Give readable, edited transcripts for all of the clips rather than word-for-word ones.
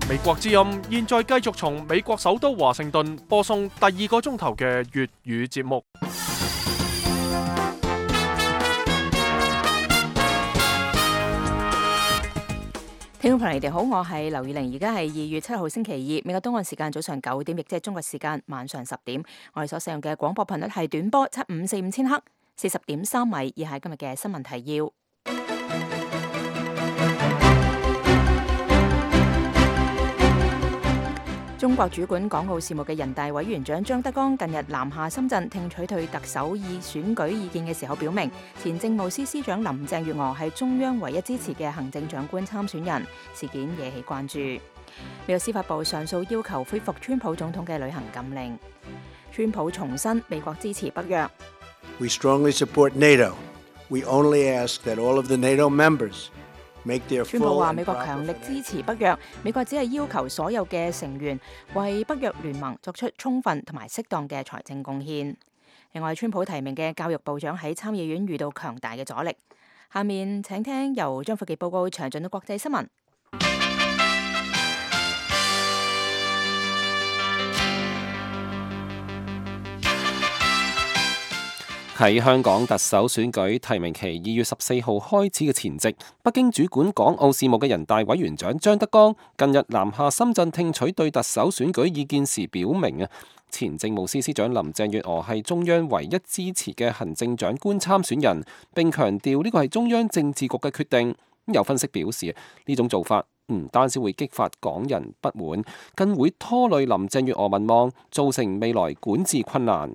美國之音現在繼續從美國首都華盛頓播送第2個鐘頭嘅粵語節目。聽眾朋友，你哋好，我係劉宇玲，而家係2月7號星期二，美國東岸時間早上9點，亦即係中國時間晚上10點。我哋所使用嘅廣播頻率係短波7545千赫，40.3米，以下係今日嘅新聞提要。中國主管港澳事務嘅人大委員長張德江近日南下深圳聽取對特首選舉意見嘅時候，表明前政務司司長林鄭月娥係中央唯一支持嘅行政長官參選人，事件惹起關注。美國司法部上訴要求恢復川普總統嘅旅行禁令。川普重申美國支持北約。We strongly support NATO. We only ask that all of the NATO members川普話美國強力支持北約，美國只係要求所有嘅成員為北約聯盟作出充分同埋適當嘅財政貢獻。另外，川普提名嘅教育部長喺參議院遇到強大嘅阻力。下面請聽由張富傑報告詳盡嘅國際新聞。喺香港特首選舉提名期2月14號開始嘅前夕，北京主管港澳事務嘅人大委員長張德江近日南下深圳聽取對特首選舉意見時表明，前政務司司長林鄭月娥係中央唯一支持嘅行政長官參選人，並強調呢個係中央政治局嘅決定。有分析表示，呢種做法唔單止會激發港人不滿，更會拖累林鄭月娥民望，造成未來管治困難。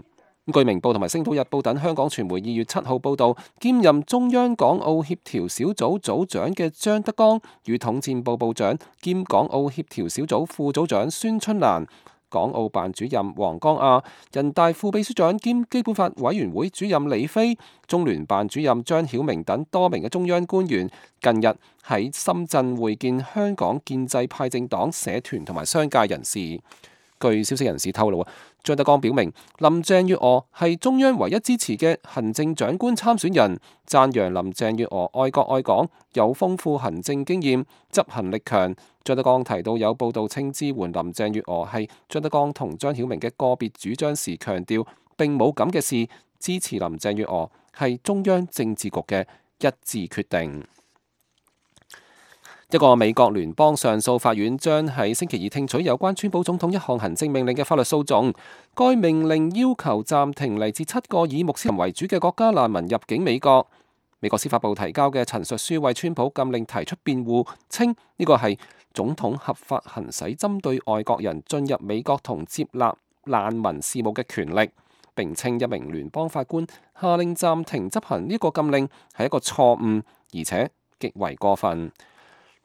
據明報同埋星島日報等香港傳媒2月7號報道，兼任中央港澳協調小組組長嘅張德江與統戰部部長兼港澳協調小組副組長孫春蘭、港澳辦主任黃江亞、人大副秘書長兼基本法委員會主任李飛、中聯辦主任張曉明等多名嘅中央官員，近日喺深圳會見香港建制派政黨、社團同埋商界人士。據消息人士透露，張德江表明林鄭月娥係中央唯一支持嘅行政長官參選人，讚揚林鄭月娥愛國愛港，有豐富行政經驗，執行力強。張德江提到有報道稱支援林鄭月娥係張德江同張曉明嘅個別主張時，強調並冇咁嘅事，支持林鄭月娥係中央政治局嘅一致決定。一個美國聯邦上訴法院將喺星期二聽取有關川普總統一項行政命令嘅法律訴訟。該命令要求暫停嚟自7個以穆斯林為主嘅國家難民入境美國。美國司法部提交嘅陳述書為川普禁令提出辯護，稱呢個係總統合法行使針對外國人進入美國同接納難民事務嘅權力，並稱一名聯邦法官下令暫停執行呢個禁令係一個錯誤，而且極為過分。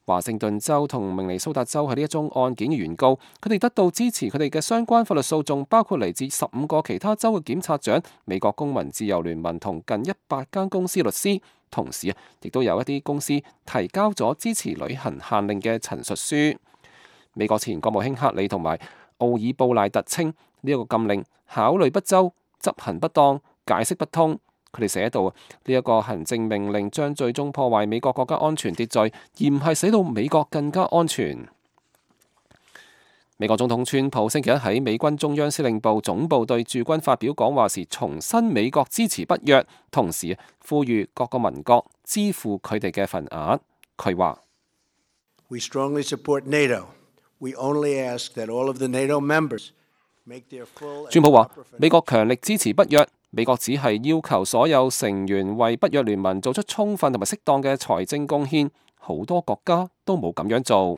華盛頓州同明尼蘇達州係呢一宗案件嘅原告，佢哋得到支持佢哋嘅相關法律訴訟，包括嚟自15個其他州嘅檢察長、美國公民自由聯盟同近100間公司律師。同時亦都有一啲公司提交咗支持旅行限令嘅陳述書。美國前國務卿克里同埋奧爾布賴特稱呢一個禁令考慮不周、執行不當、解釋不通。佢哋寫到呢一個行政命令將最終破壞美國國家安全秩序，而唔係使到美國更加安全。美國總統川普星期一喺美軍中央司令部總部對駐軍發表講話時，重申美國支持北約，同時呼籲各個盟國支付佢哋嘅份額。佢話：We strongly support NATO. We only ask that all of the NATO members make their full。川普話：美國強力支持北約。美國只係要求所有成員為北約聯盟做出充分同埋適當嘅財政貢獻，好多國家都冇咁樣做。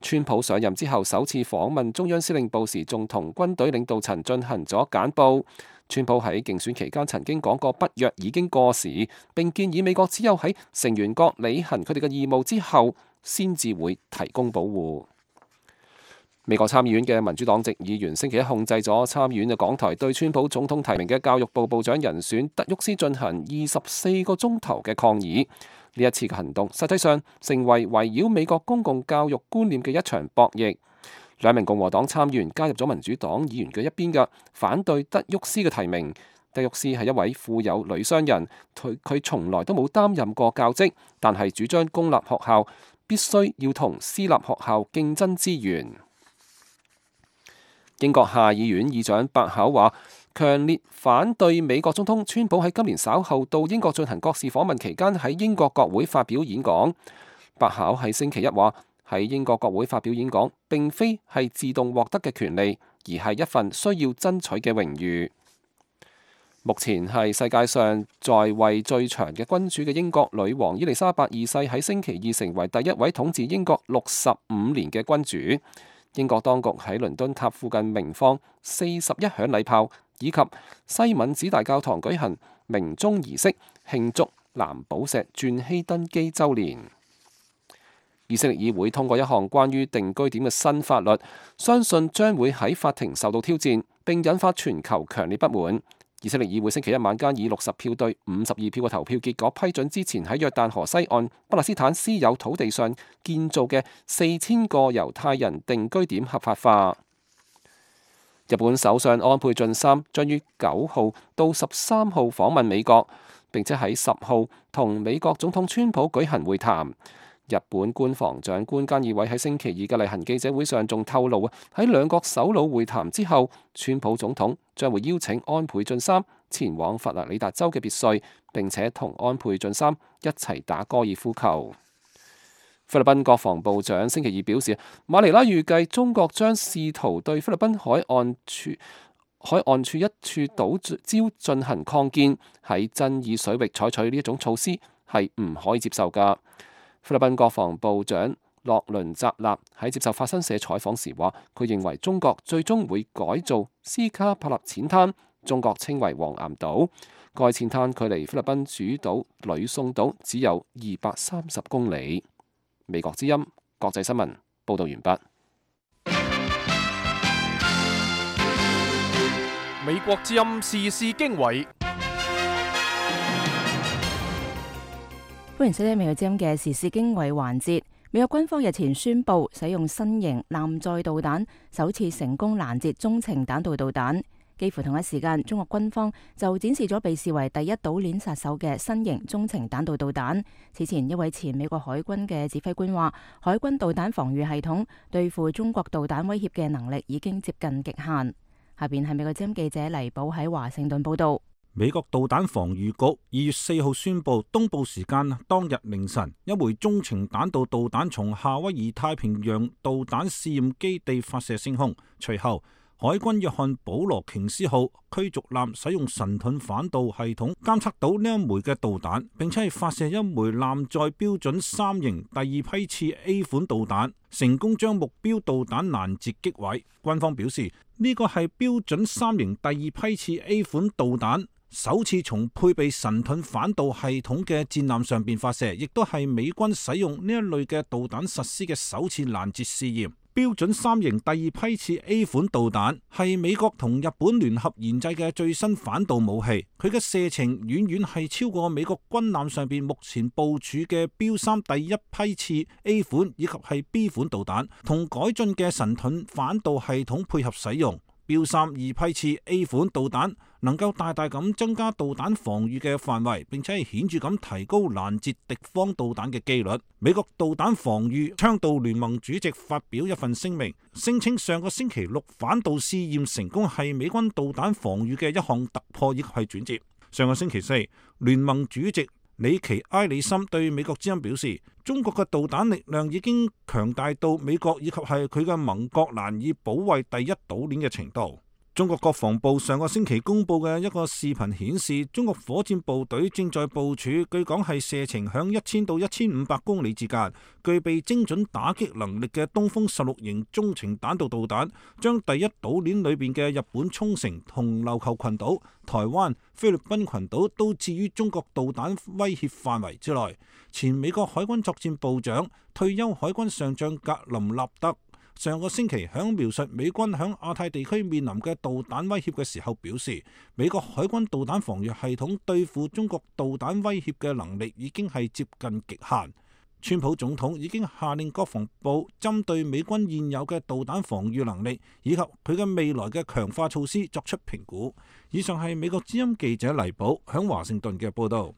川普上任之後首次訪問中央司令部時，仲同軍隊領導層進行咗簡報。川普喺競選期間曾經講過北約已經過時，並建議美國只有喺成員國履行佢哋嘅義務之後，先至會提供保護。美國參議院嘅民主黨籍議員星期一控制咗參議院嘅講台，對川普總統提名嘅教育部部長人選德沃斯進行24個鐘頭嘅抗議。呢一次嘅行動實際上成為圍繞美國公共教育觀念嘅一場博弈。2名共和黨參議員加入咗民主黨議員嘅一邊嘅，反對德沃斯嘅提名。德沃斯係一位富有女商人，佢從來都冇擔任過教職，但係主張公立學校必須要同私立學校競爭資源。英國下議院議長白巧話，強烈反對美國總統川普喺今年稍後到英國進行國事訪問期間喺英國國會發表演講。白巧喺星期一話，喺英國國會發表演講並非係自動獲得嘅權利，而係一份需要爭取嘅榮譽。目前係世界上在位最長嘅君主嘅英國女王伊麗莎白二世喺星期二成為第一位統治英國65年嘅君主。英國當局喺倫敦塔附近鳴放41響禮炮，以及西敏寺大教堂舉行鳴鐘儀式，慶祝藍寶石鑽禧登基週年。以色列議會通過一項關於定居點嘅新法律，相信將會喺法庭受到挑戰，並引發全球強烈不滿。以色列議會星期一晚間以60票對52票嘅投票結果批准之前喺約旦河西岸巴勒斯坦私有土地上建造嘅4000個猶太人定居點合法化。日本首相安倍晉三將於9號到13號訪問美國，並且喺10號同美國總統川普舉行會談。日本官房長官菅義偉喺星期二嘅例行記者會上仲透露，喺兩國首腦會談之後，川普總統將會邀請安倍晉三前往佛羅里達州嘅別墅，並且同安倍晉三一齊打高爾夫球。菲律賓國防部長星期二表示，馬尼拉預計中國將試圖對菲律賓海岸處一處島礁進行擴建，喺爭議水域採取呢一種措施係唔可以接受㗎。菲律賓國防部長洛倫扎納喺接受法新社採訪時話，佢認為中國最終會改造斯卡帕納淺灘，中國稱為黃岩島。該淺灘距離菲律賓主島呂宋島只有230公里。美國之音國際新聞報道完畢。美國之音時事經緯。歡迎收聽美國之音嘅時事經緯環節。美國軍方日前宣布使用新型艦載導彈，首次成功攔截中程彈道導彈。幾乎同一時間，中國軍方就展示咗被視為第一島鏈殺手嘅新型中程彈道導彈。此前一位前美國海軍嘅指揮官話，海軍導彈防禦系統對付中國導彈威脅嘅能力已經接近極限。下邊係美國之音記者黎寶喺華盛頓報道。美國導彈防禦局2月4號宣布，東部時間當日凌晨，一枚中程彈道導彈從夏威夷太平洋導彈試驗基地發射升空。隨後，海軍約翰保羅瓊斯號驅逐艦使用神盾反導系統監測到呢一枚嘅導彈，並且係發射一枚艦載標準3型第二批次 A 款導彈，成功將目標導彈攔截擊毀。軍方表示，呢個係標準3型第二批次 A 款導彈首次從配備神盾反導系統嘅戰艦上邊發射，亦都係美軍使用呢一類嘅導彈實施嘅首次攔截試驗。標準3型第二批次 A 款導彈係美國同日本聯合研製嘅最新反導武器，佢嘅射程遠遠係超過美國軍艦上邊目前部署嘅標3第一批次 A 款以及係 B 款導彈，同改進嘅神盾反導系統配合使用。標3二批次 A 款導彈能夠大大咁增加導彈防禦嘅範圍，並且係顯著咁提高攔截敵方導彈嘅機率。美國導彈防禦倡導聯盟主席發表一份聲明，聲稱上個星期6反導試驗成功係美軍導彈防禦嘅一項突破，亦係轉折。上個星期4，聯盟主席里奇埃里森對美國之音表示，中國嘅導彈力量已經強大到美國以及係佢嘅盟國難以保衛第一島鏈嘅程度。中國國防部上個星期公布嘅一個視頻顯示，中國火箭部隊正在部署，據講係射程響1000到1500公里之間，具備精準打擊能力嘅東風16型中程彈道導彈，將第一島鏈裏邊嘅日本沖繩同琉球群島、台灣、菲律賓群島都置於中國導彈威脅範圍之內。前美國海軍作戰部長、退休海軍上將格林納德上個星期響描述美軍響亞太地區面臨嘅導彈威脅嘅時候表示，美國海軍導彈防禦系統對付中國導彈威脅嘅能力已經係接近極限。川普總統已經下令國防部針對美軍現有嘅導彈防禦能力以及佢嘅未來嘅強化措施作出評估。以上係美國之音記者黎寶響華盛頓嘅報道。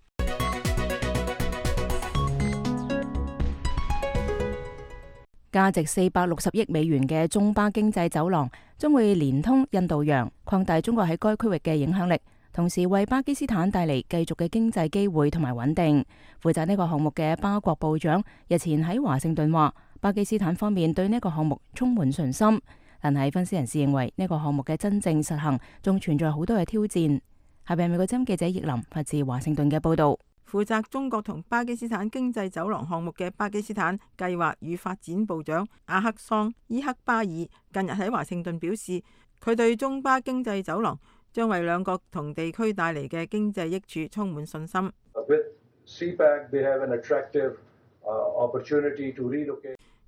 價值460億美元嘅中巴經濟走廊將會連通印度洋，擴大中國喺該區域嘅影響力，同時為巴基斯坦帶嚟繼續嘅經濟機會同埋穩定。負責呢個項目嘅巴國部長日前喺華盛頓話，巴基斯坦方面對呢個項目充滿信心，但係分析人士認為呢個項目嘅真正實行仲存在好多嘅挑戰。下邊係美國之音記者葉林發自華盛頓嘅報道。負責中國同巴基斯坦經濟走廊項目嘅巴基斯坦計劃與發展部長阿克桑伊克巴爾近日喺華盛頓表示，佢對中巴經濟走廊將為兩國同地區帶嚟嘅經濟益處充滿信心。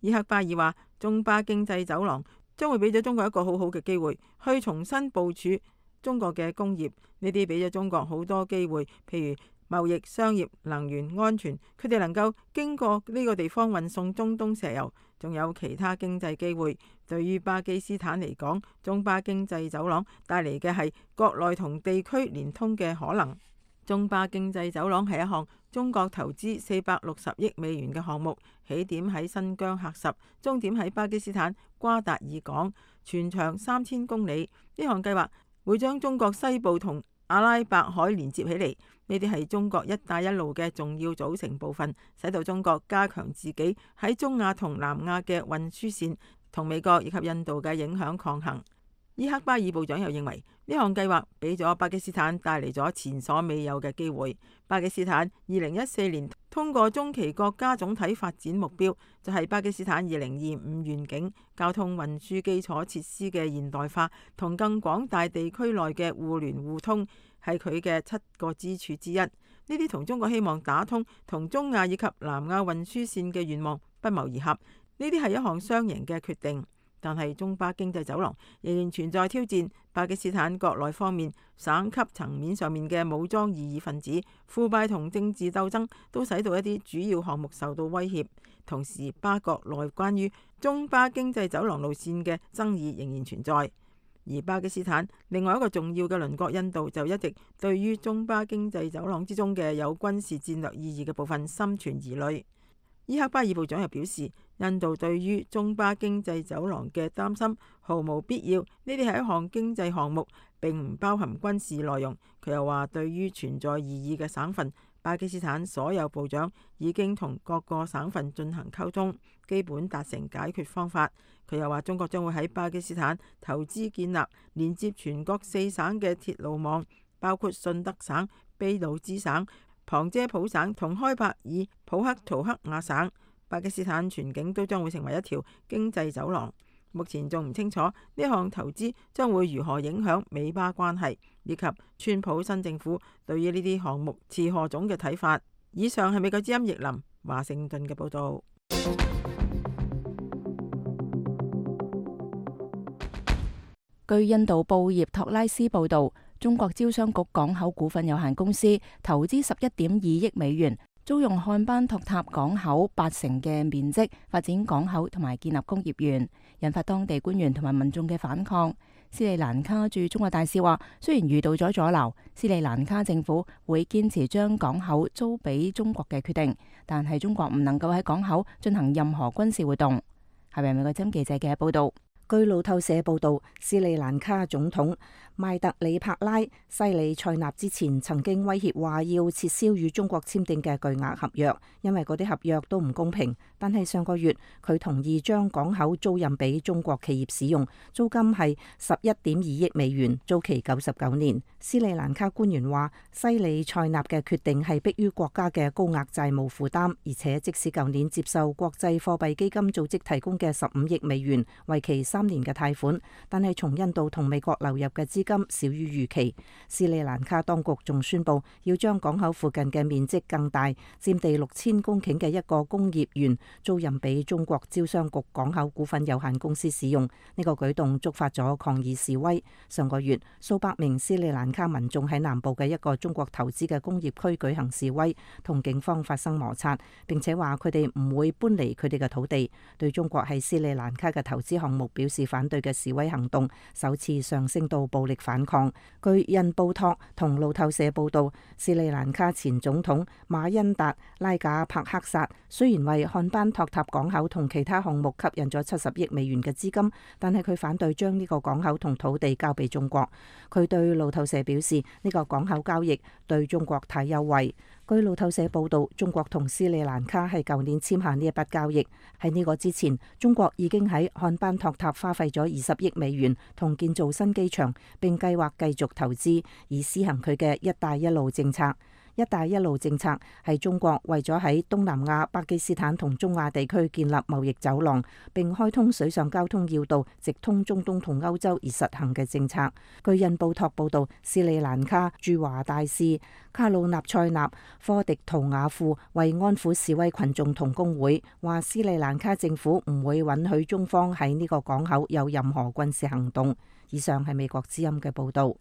伊克巴爾話，中巴經濟走廊將會俾咗中國一個好好嘅機會，去重新部署中國嘅工業，呢啲俾咗中國好多機會，譬如貿易、商業、能源、安全，佢哋能夠經過呢個地方運送中東石油，仲有其他經濟機會。對於巴基斯坦嚟講，中巴經濟走廊帶嚟嘅係國內同地區連通嘅可能。中巴經濟走廊係一項中國投資460億美元嘅項目，起點喺新疆喀什，終點喺巴基斯坦瓜達爾港，全長3000公里。呢項計劃會將中國西部同阿拉伯海連接起嚟，呢啲係中國一帶一路嘅重要組成部分，使到中國加強自己喺中亞同南亞嘅運輸線，同美國以及印度嘅影響抗衡。伊克巴爾部長又認為，呢項計劃俾咗巴基斯坦帶嚟咗前所未有嘅機會。巴基斯坦2014年通過中期國家總體發展目標，就係巴基斯坦2025願景，交通運輸基礎設施嘅現代化同更廣大地區內嘅互聯互通，係佢嘅7個支柱之一。呢啲同中國希望打通同中亞以及南亞運輸線嘅願望不謀而合。呢啲係一項雙贏嘅決定。但係中巴經濟走廊仍然存在挑戰，巴基斯坦國內方面、省級層面上面嘅武裝異議分子、腐敗同政治鬥爭都使到一啲主要項目受到威脅。同時，巴國內關於中巴經濟走廊路線嘅爭議仍然存在。而巴基斯坦另外一個重要嘅鄰國印度就一直對於中巴經濟走廊之中嘅有軍事戰略意義嘅部分心存疑慮。伊克巴爾部長又表示，印度對於中巴經濟走廊嘅擔心毫無必要，呢啲係一項經濟項目，並唔包含軍事內容。佢又話，對於存在異議嘅省份，巴基斯坦所有部長已經同各個省份進行溝通，基本達成解決方法。佢又話，中國將會喺巴基斯坦投資建立連接全國4省嘅鐵路網，包括順德省、秘魯支省、旁遮普省同開伯爾普克圖克亞省。巴基斯坦全境都將會成為一條經濟走廊。目前仲唔清楚呢項投資將會如何影響美巴關係，以及川普新政府對於呢啲項目持何種嘅睇法。以上係美國之音譯林華盛頓嘅報導。據印度報業托拉斯報導，中國招商局港口股份有限公司投資11.2億美元，租用漢班托塔港口8成嘅面積發展港口同埋建立工業園，引發當地官員同埋民眾嘅反抗。斯里蘭卡駐中國大使話，雖然遇到咗阻撓，斯里蘭卡政府會堅持將港口租俾中國嘅決定，但係中國唔能夠喺港口進行任何軍事活動。係咪美國之音記者嘅報道？據路透社報導，斯里蘭卡總統邁特里帕拉西里塞納之前曾經威脅話要撤銷與中國簽訂嘅巨額合約，因為嗰啲合約都唔公平。但係上個月佢同意將港口租賃俾中國企業使用，租金係11.2億美元，租期99年。斯里蘭卡官員話，西里塞納嘅決定係迫於國家嘅高額債務負擔，而且即使舊年接受國際貨幣基金組織提供嘅15億美元，為期3年嘅貸款，但係從印度同美國流入嘅資金少於預期。斯里蘭卡當局仲宣布要將港口附近嘅面積更大，佔地6000公頃嘅一個工業園租賃俾中國招商局港口股份有限公司使用。呢個舉動觸發咗抗議示威。上個月，數百名斯里蘭卡民眾喺南部嘅一個中國投資嘅工業區舉行示威，同警方發生摩擦，並且話佢哋唔會搬離佢哋嘅土地。對中國喺斯里蘭卡嘅投資項目表示示反對嘅示威行動首次上升到暴力反抗。據印報托同路透社報道，斯里蘭卡前總統馬恩達拉賈帕克薩雖然為漢班托塔港口同其他項目吸引咗70億美元嘅資金，但係佢反對將呢個港口同土地交俾中國。佢對路透社表示，呢個港口交易對中國太優惠。據路透社報道，中國同斯里蘭卡係舊年簽下呢一筆交易。喺呢個之前，中國已經喺漢班托塔花費咗20億美元同建造新機場，並計劃繼續投資以施行佢嘅一帶一路政策。一帶一路政策係中國為咗喺東南亞、巴基斯坦同中亞地區建立貿易走廊，並開通水上交通要道，直通中東同歐洲而實行嘅政策。據印報托報道，斯里蘭卡駐華大使卡魯納塞納科迪圖瓦庫為安撫示威群眾同工會，話斯里蘭卡政府唔會允許中方喺呢個港口有任何軍事行動。以上係美國之音嘅報導。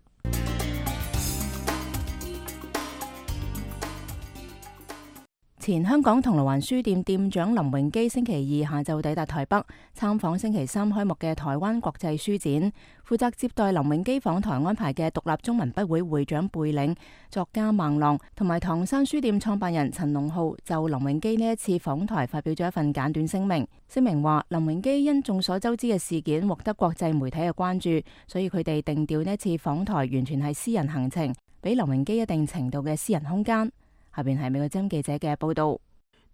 前香港銅鑼灣書店店長林榮基星期二下晝抵達台北，參訪星期三開幕嘅台灣國際書展。負責接待林榮基訪台安排嘅獨立中文筆會會長貝嶺、作家孟浪同埋唐山書店創辦人陳龍浩就林榮基呢一次訪台發表咗一份簡短聲明。聲明話，林榮基因眾所周知嘅事件獲得國際媒體嘅關注，所以佢哋定調呢一次訪台完全係私人行程，俾林榮基一定程度嘅私人空間。下邊係美國之音記者嘅報道。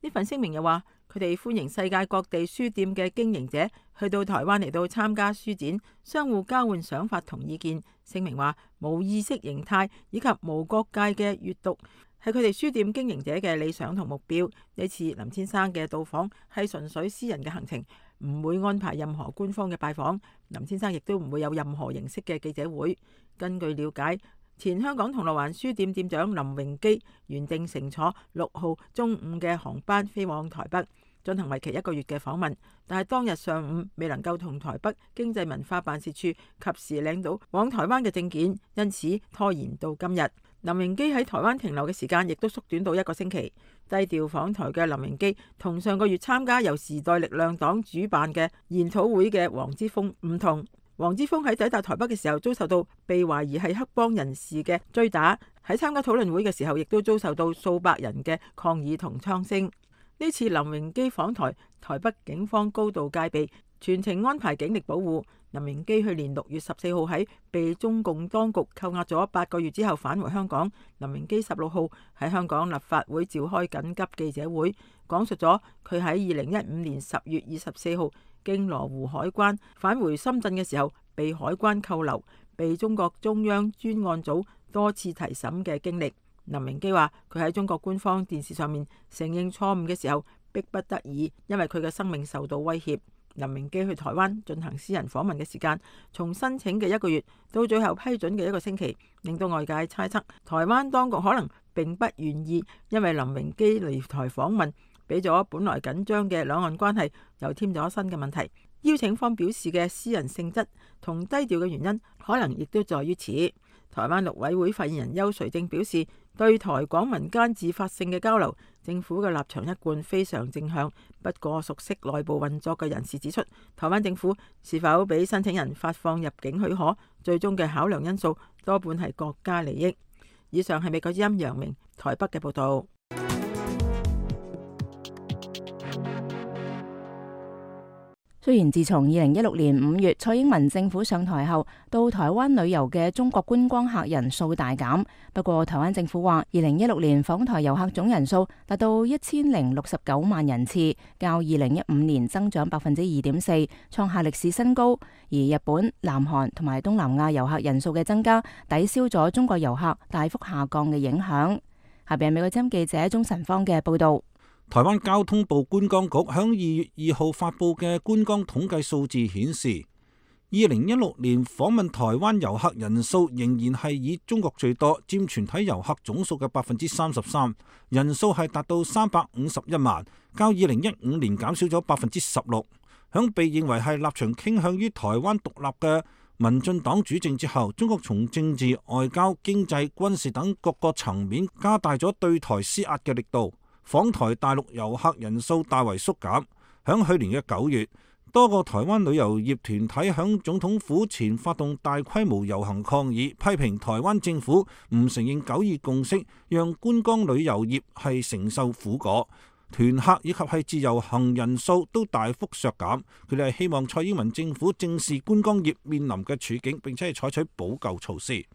呢份聲明又話，佢哋歡迎世界各地書店嘅經營者去到台灣嚟到參加書展，相互交換想法同意見。聲明話，無意識形態以及無國界嘅閱讀係佢哋書店經營者嘅理想同目標。呢次林先生嘅到訪係純粹私人嘅行程，唔會安排任何官方嘅拜訪。林先生亦都唔會有任何形式嘅記者會。根據了解，前香港銅鑼灣書店店長林榮基原定乘坐6號中午嘅航班飛往台北，進行為期1個月嘅訪問，但係當日上午未能夠同台北經濟文化辦事處及時領到往台灣嘅證件，因此拖延到今日。林榮基喺台灣停留嘅時間亦都縮短到1個星期。低調訪台嘅林榮基同上個月參加由時代力量黨主辦嘅研討會嘅黃之鋒唔同。黃之鋒喺抵達台北嘅時候遭受到被懷疑係黑幫人士嘅追打，喺參加討論會嘅時候亦都遭受到數百人嘅抗議同槍聲。呢次林榮基訪台，台北警方高度戒備，全程安排警力保護。林榮基去年6月14號喺被中共當局扣押咗8個月之後返回香港。林榮基16號喺香港立法會召開緊急記者會，講述咗佢喺2015年10月24號經羅湖海關返回深圳嘅時候，被海關扣留，被中國中央專案組多次提審嘅經歷。林榮基話，佢喺中國官方電視上面承認錯誤嘅時候，迫不得已，因為佢嘅生命受到威脅。林榮基去台灣進行私人訪問嘅時間，從申請嘅1個月到最後批准嘅1個星期，令到外界猜測台灣當局可能並不願意，因為林榮基嚟台訪問，俾咗本來緊張嘅兩岸關係又添咗新嘅問題。邀請方表示嘅私人性質同低調嘅原因，可能亦都在於此。台灣陸委會發言人邱垂正表示，對台港民間自發性嘅交流，政府嘅立場一貫非常正向。不過熟悉內部運作嘅人士指出，台灣政府是否俾申請人發放入境許可，最終嘅考量因素多半係國家利益。以上係美國之音楊明台北嘅報道。雖然自從2016年5月蔡英文政府上台後，到台灣旅遊嘅中國觀光客人數大減，不過台灣政府話2016年訪台遊客總人數達到1069萬人次，較2015年增長2.4%，創下歷史新高。而日本、南韓同埋東南亞遊客人數嘅增加，抵消咗中國遊客大幅下降嘅影響。下邊係美國之音記者鍾晨芳嘅報道。台灣交通部觀光局響2月2號發佈嘅觀光統計數字顯示，2016年訪問台灣遊客人數仍然係以中國最多，佔全體遊客總數嘅33%，人數係達到351萬，較2015年減少咗16%。響被認為係立場傾向於台灣獨立嘅民進黨主政之後，中國從政治、外交、經濟、軍事等各個層面加大咗對台施壓嘅力度。訪台大陸遊客人數大為縮減，響去年嘅9月，多個台灣旅遊業團體響總統府前發動大規模遊行抗議，批評台灣政府唔承認九二共識，讓觀光旅遊業係承受苦果。團客以及係自由行人數都大幅削減，佢哋係希望蔡英文政府正視觀光業面臨嘅處境，並且係採取補救措施。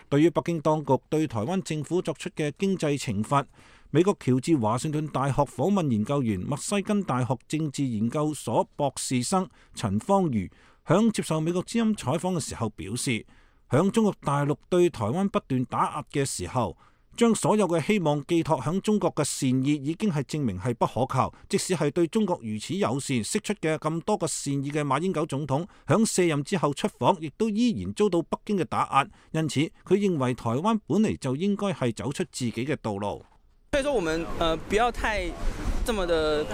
對於北京當局對台灣政府作出嘅經濟懲罰，美國喬治華盛頓大學訪問研究員、密西根大學政治研究所博士生陳方瑜響接受美國之音採訪嘅時候表示，響中國大陸對台灣不斷打壓嘅時候，將所有嘅希望寄託響中國嘅善意，已經係證明係不可靠。即使係對中國如此友善，釋出嘅咁多個善意嘅馬英九總統，響卸任之後出訪，亦都依然遭到北京嘅打壓。因此，佢認為台灣本嚟就應該係走出自己嘅道路。所以說，我們不要太這麼的，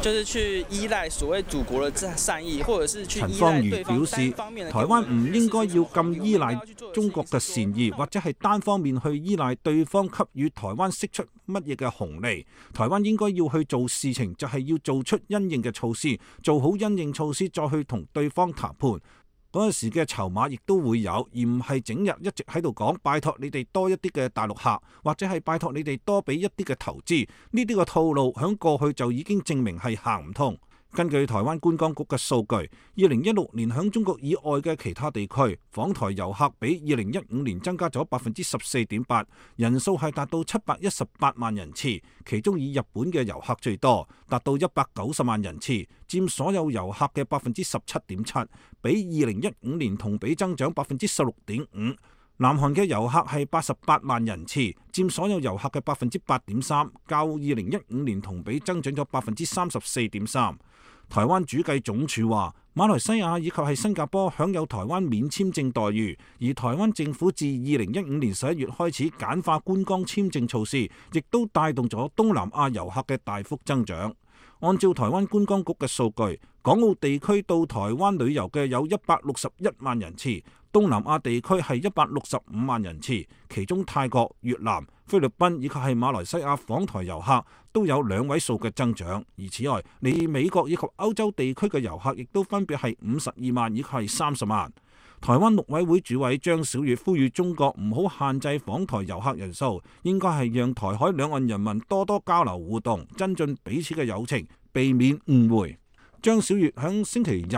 就是去依賴所謂祖國的善意，或者是去依賴對方。陳方瑜表示，台灣唔應該要咁依賴中國嘅善意，或者係單方面去依賴對方給予台灣釋出乜嘢嘅紅利。台灣應該要去做事情，就係要做出因應嘅措施，做好因應措施，再去同對方談判。嗰陣時嘅籌碼亦都會有，而唔係整日一直喺度講拜託你哋多一啲嘅大陸客，或者係拜託你哋多俾一啲嘅投資。呢啲嘅套路響過去就已經證明係行唔通。根據台灣觀光局嘅數據，2016年響中國以外嘅其他地區訪台遊客比2015年增加咗14.8%，人數係達到718萬人次，其中以日本嘅遊客最多，達到190萬人次，佔所有遊客嘅17.7%，比2015年同比增長16.5%。南韓嘅遊客係88萬人次，佔所有遊客嘅8.3%，較2015年同比增長咗34.3%。台灣主計總署話，馬來西亞以及係新加坡享有台灣免簽證待遇，而台灣政府自2015年11月開始簡化觀光簽證措施，亦都帶動咗東南亞遊客嘅大幅增長。按照台灣觀光局嘅數據，港澳地區到台灣旅遊嘅有161萬人次，東南亞地區係165萬人次，其中泰國、越南、菲律賓以及係馬來西亞訪台遊客都有2位數嘅增長。而此外，嚟美國以及歐洲地區嘅遊客亦都分別係52萬以及係30萬。台灣陸委會主委張曉月呼籲中國唔好限制訪台遊客人數，應該係讓台海兩岸人民多多交流互動，增進彼此嘅友情，避免誤會。張曉月響星期日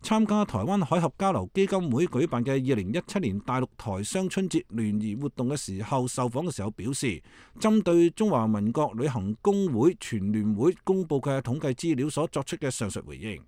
參加台灣海峽交流基金會舉辦嘅2017年大陸台商春節聯誼活動嘅時候，受訪嘅時候表示，針對中華民國旅行工會全聯會公佈嘅統計資料所作出嘅上述回應。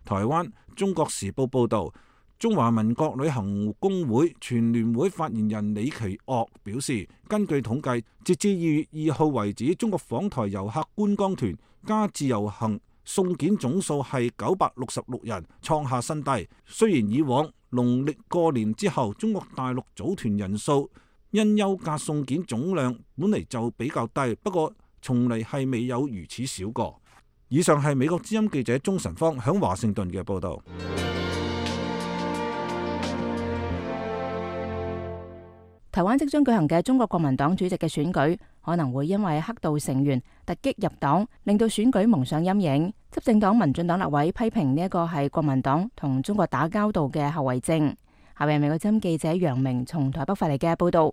台灣中國時報報導，中華民國旅行工會全聯會發言人李奇岳表示，根據統計，截至2月2號為止，中國訪台遊客觀光團加自由行送件總數係966人，創下新低。雖然以往農曆過年之後，中國大陸組團人數因休假送件總量本嚟就比較低，不過從嚟係未有如此少過。以上係美國之音記者鍾晨芳響華盛頓嘅報導。台灣即將舉行嘅中國國民黨主席嘅選舉，可能會因為黑道成員突擊入黨，令到選舉蒙上陰影。執政黨民進黨立委批評呢一個係國民黨同中國打交道嘅後遺症。下面美國之音記者楊明從台北發嚟嘅報道。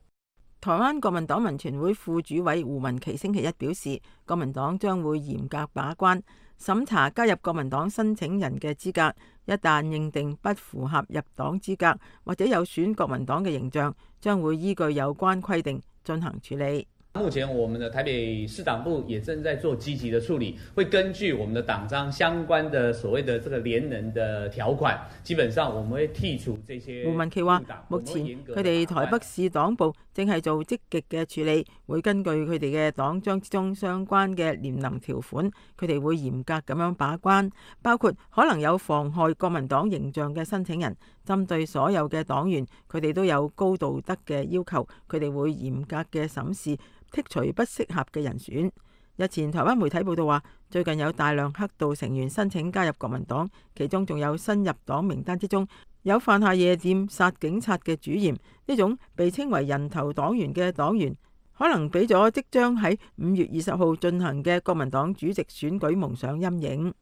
台灣國民黨民權會副主委胡文琪星期一表示，國民黨將會嚴格把關審查加入國民黨申請人嘅資格，一旦認定不符合入黨資格或者有損國民黨嘅形象，將會依據有關規定進行處理。目前我們的台北市黨部也正在做積極的處理，會根據我們的黨章相關的所謂的這個連任的條款，基本上我們會剔除這些。胡文琪話，目前佢哋台北市黨部正係做積極嘅處理，會根據佢哋嘅黨章之中相關嘅連任條款，佢哋會嚴格咁樣把關，包括可能有妨害國民黨形象嘅申請人，針對所有嘅黨員，佢哋都有高道德嘅要求，佢哋會嚴格嘅審視，剔除不適合嘅人選。日前台灣媒體報道話，最近有大量黑道成員申請加入國民黨，其中仲有新入黨名單之中有犯下夜店殺警察嘅主嫌。呢種被稱為人頭黨員嘅黨員，可能俾咗即將喺5月20號進行嘅國民黨主席選舉蒙上陰影。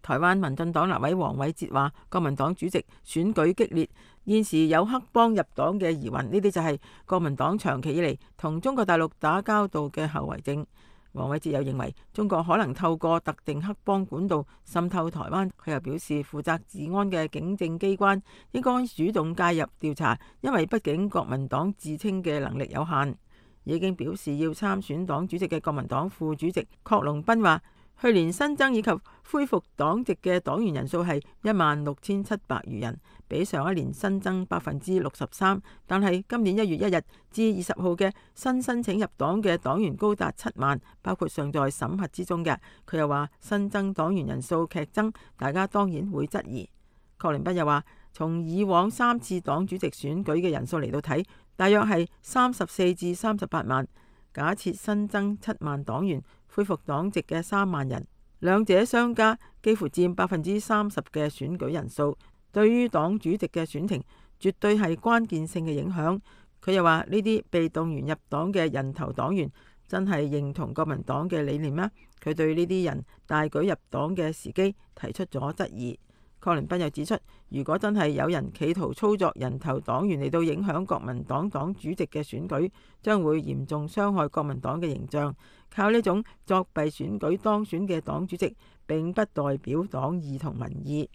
台灣民進黨立委黃偉哲話，國民黨主席選舉激烈，現時有黑幫入黨嘅疑雲，呢啲就係國民黨長期以嚟同中國大陸打交道嘅後遺症。黃偉哲又認為中國可能透過特定黑幫管道滲透台灣。佢又表示，負責治安嘅警政機關應該主動介入調查，因為畢竟國民黨自稱嘅能力有限。已經表示要參選黨主席嘅國民黨副主席郝龍斌話，去年新增以及恢復黨籍嘅黨員人數係16,700餘人，比上一年新增63%。但係今年1月1日至20號嘅新申請入黨嘅黨員高達7萬，包括尚在審核之中嘅。佢又話新增黨員人數劇增，大家當然會質疑。郝龍斌又話，從以往3次黨主席選舉嘅人數嚟到睇，大約係34至38萬。假設新增7萬黨員，恢復黨籍嘅3萬人，兩者相加幾乎佔30%嘅選舉人數，對於黨主席嘅選情絕對係關鍵性嘅影響。佢又話呢啲被動員入黨嘅人頭黨員真係認同國民黨嘅理念咩？佢對呢啲人大舉入黨嘅時機提出咗質疑。郝龍斌又指出，如果真係有人企圖操作人頭黨員嚟到影響國民黨黨主席嘅選舉，將會嚴重傷害國民黨嘅形象。靠呢種作弊選舉當選嘅黨主席，並不代表黨意同民意。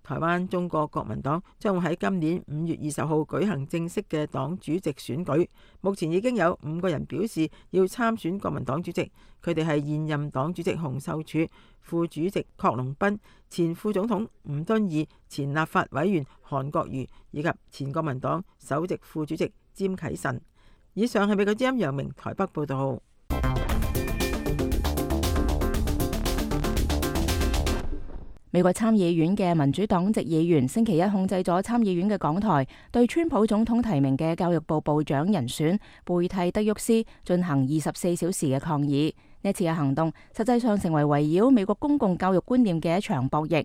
台灣中國國民黨將會喺今年5月20號舉行正式嘅黨主席選舉。目前已經有5個人表示要參選國民黨主席，佢哋係現任黨主席洪秀柱、副主席郝龍斌、前副總統吳敦義、前立法委員韓國瑜以及前國民黨首席副主席詹啟臣。以上係美國之音楊明台北報道。美國參議院嘅民主黨籍議員星期一控制咗參議院嘅講台，對川普總統提名嘅教育部部長人選貝蒂德沃斯進行24小時嘅抗議。呢次嘅行動實際上成為圍繞美國公共教育觀念嘅一場博弈。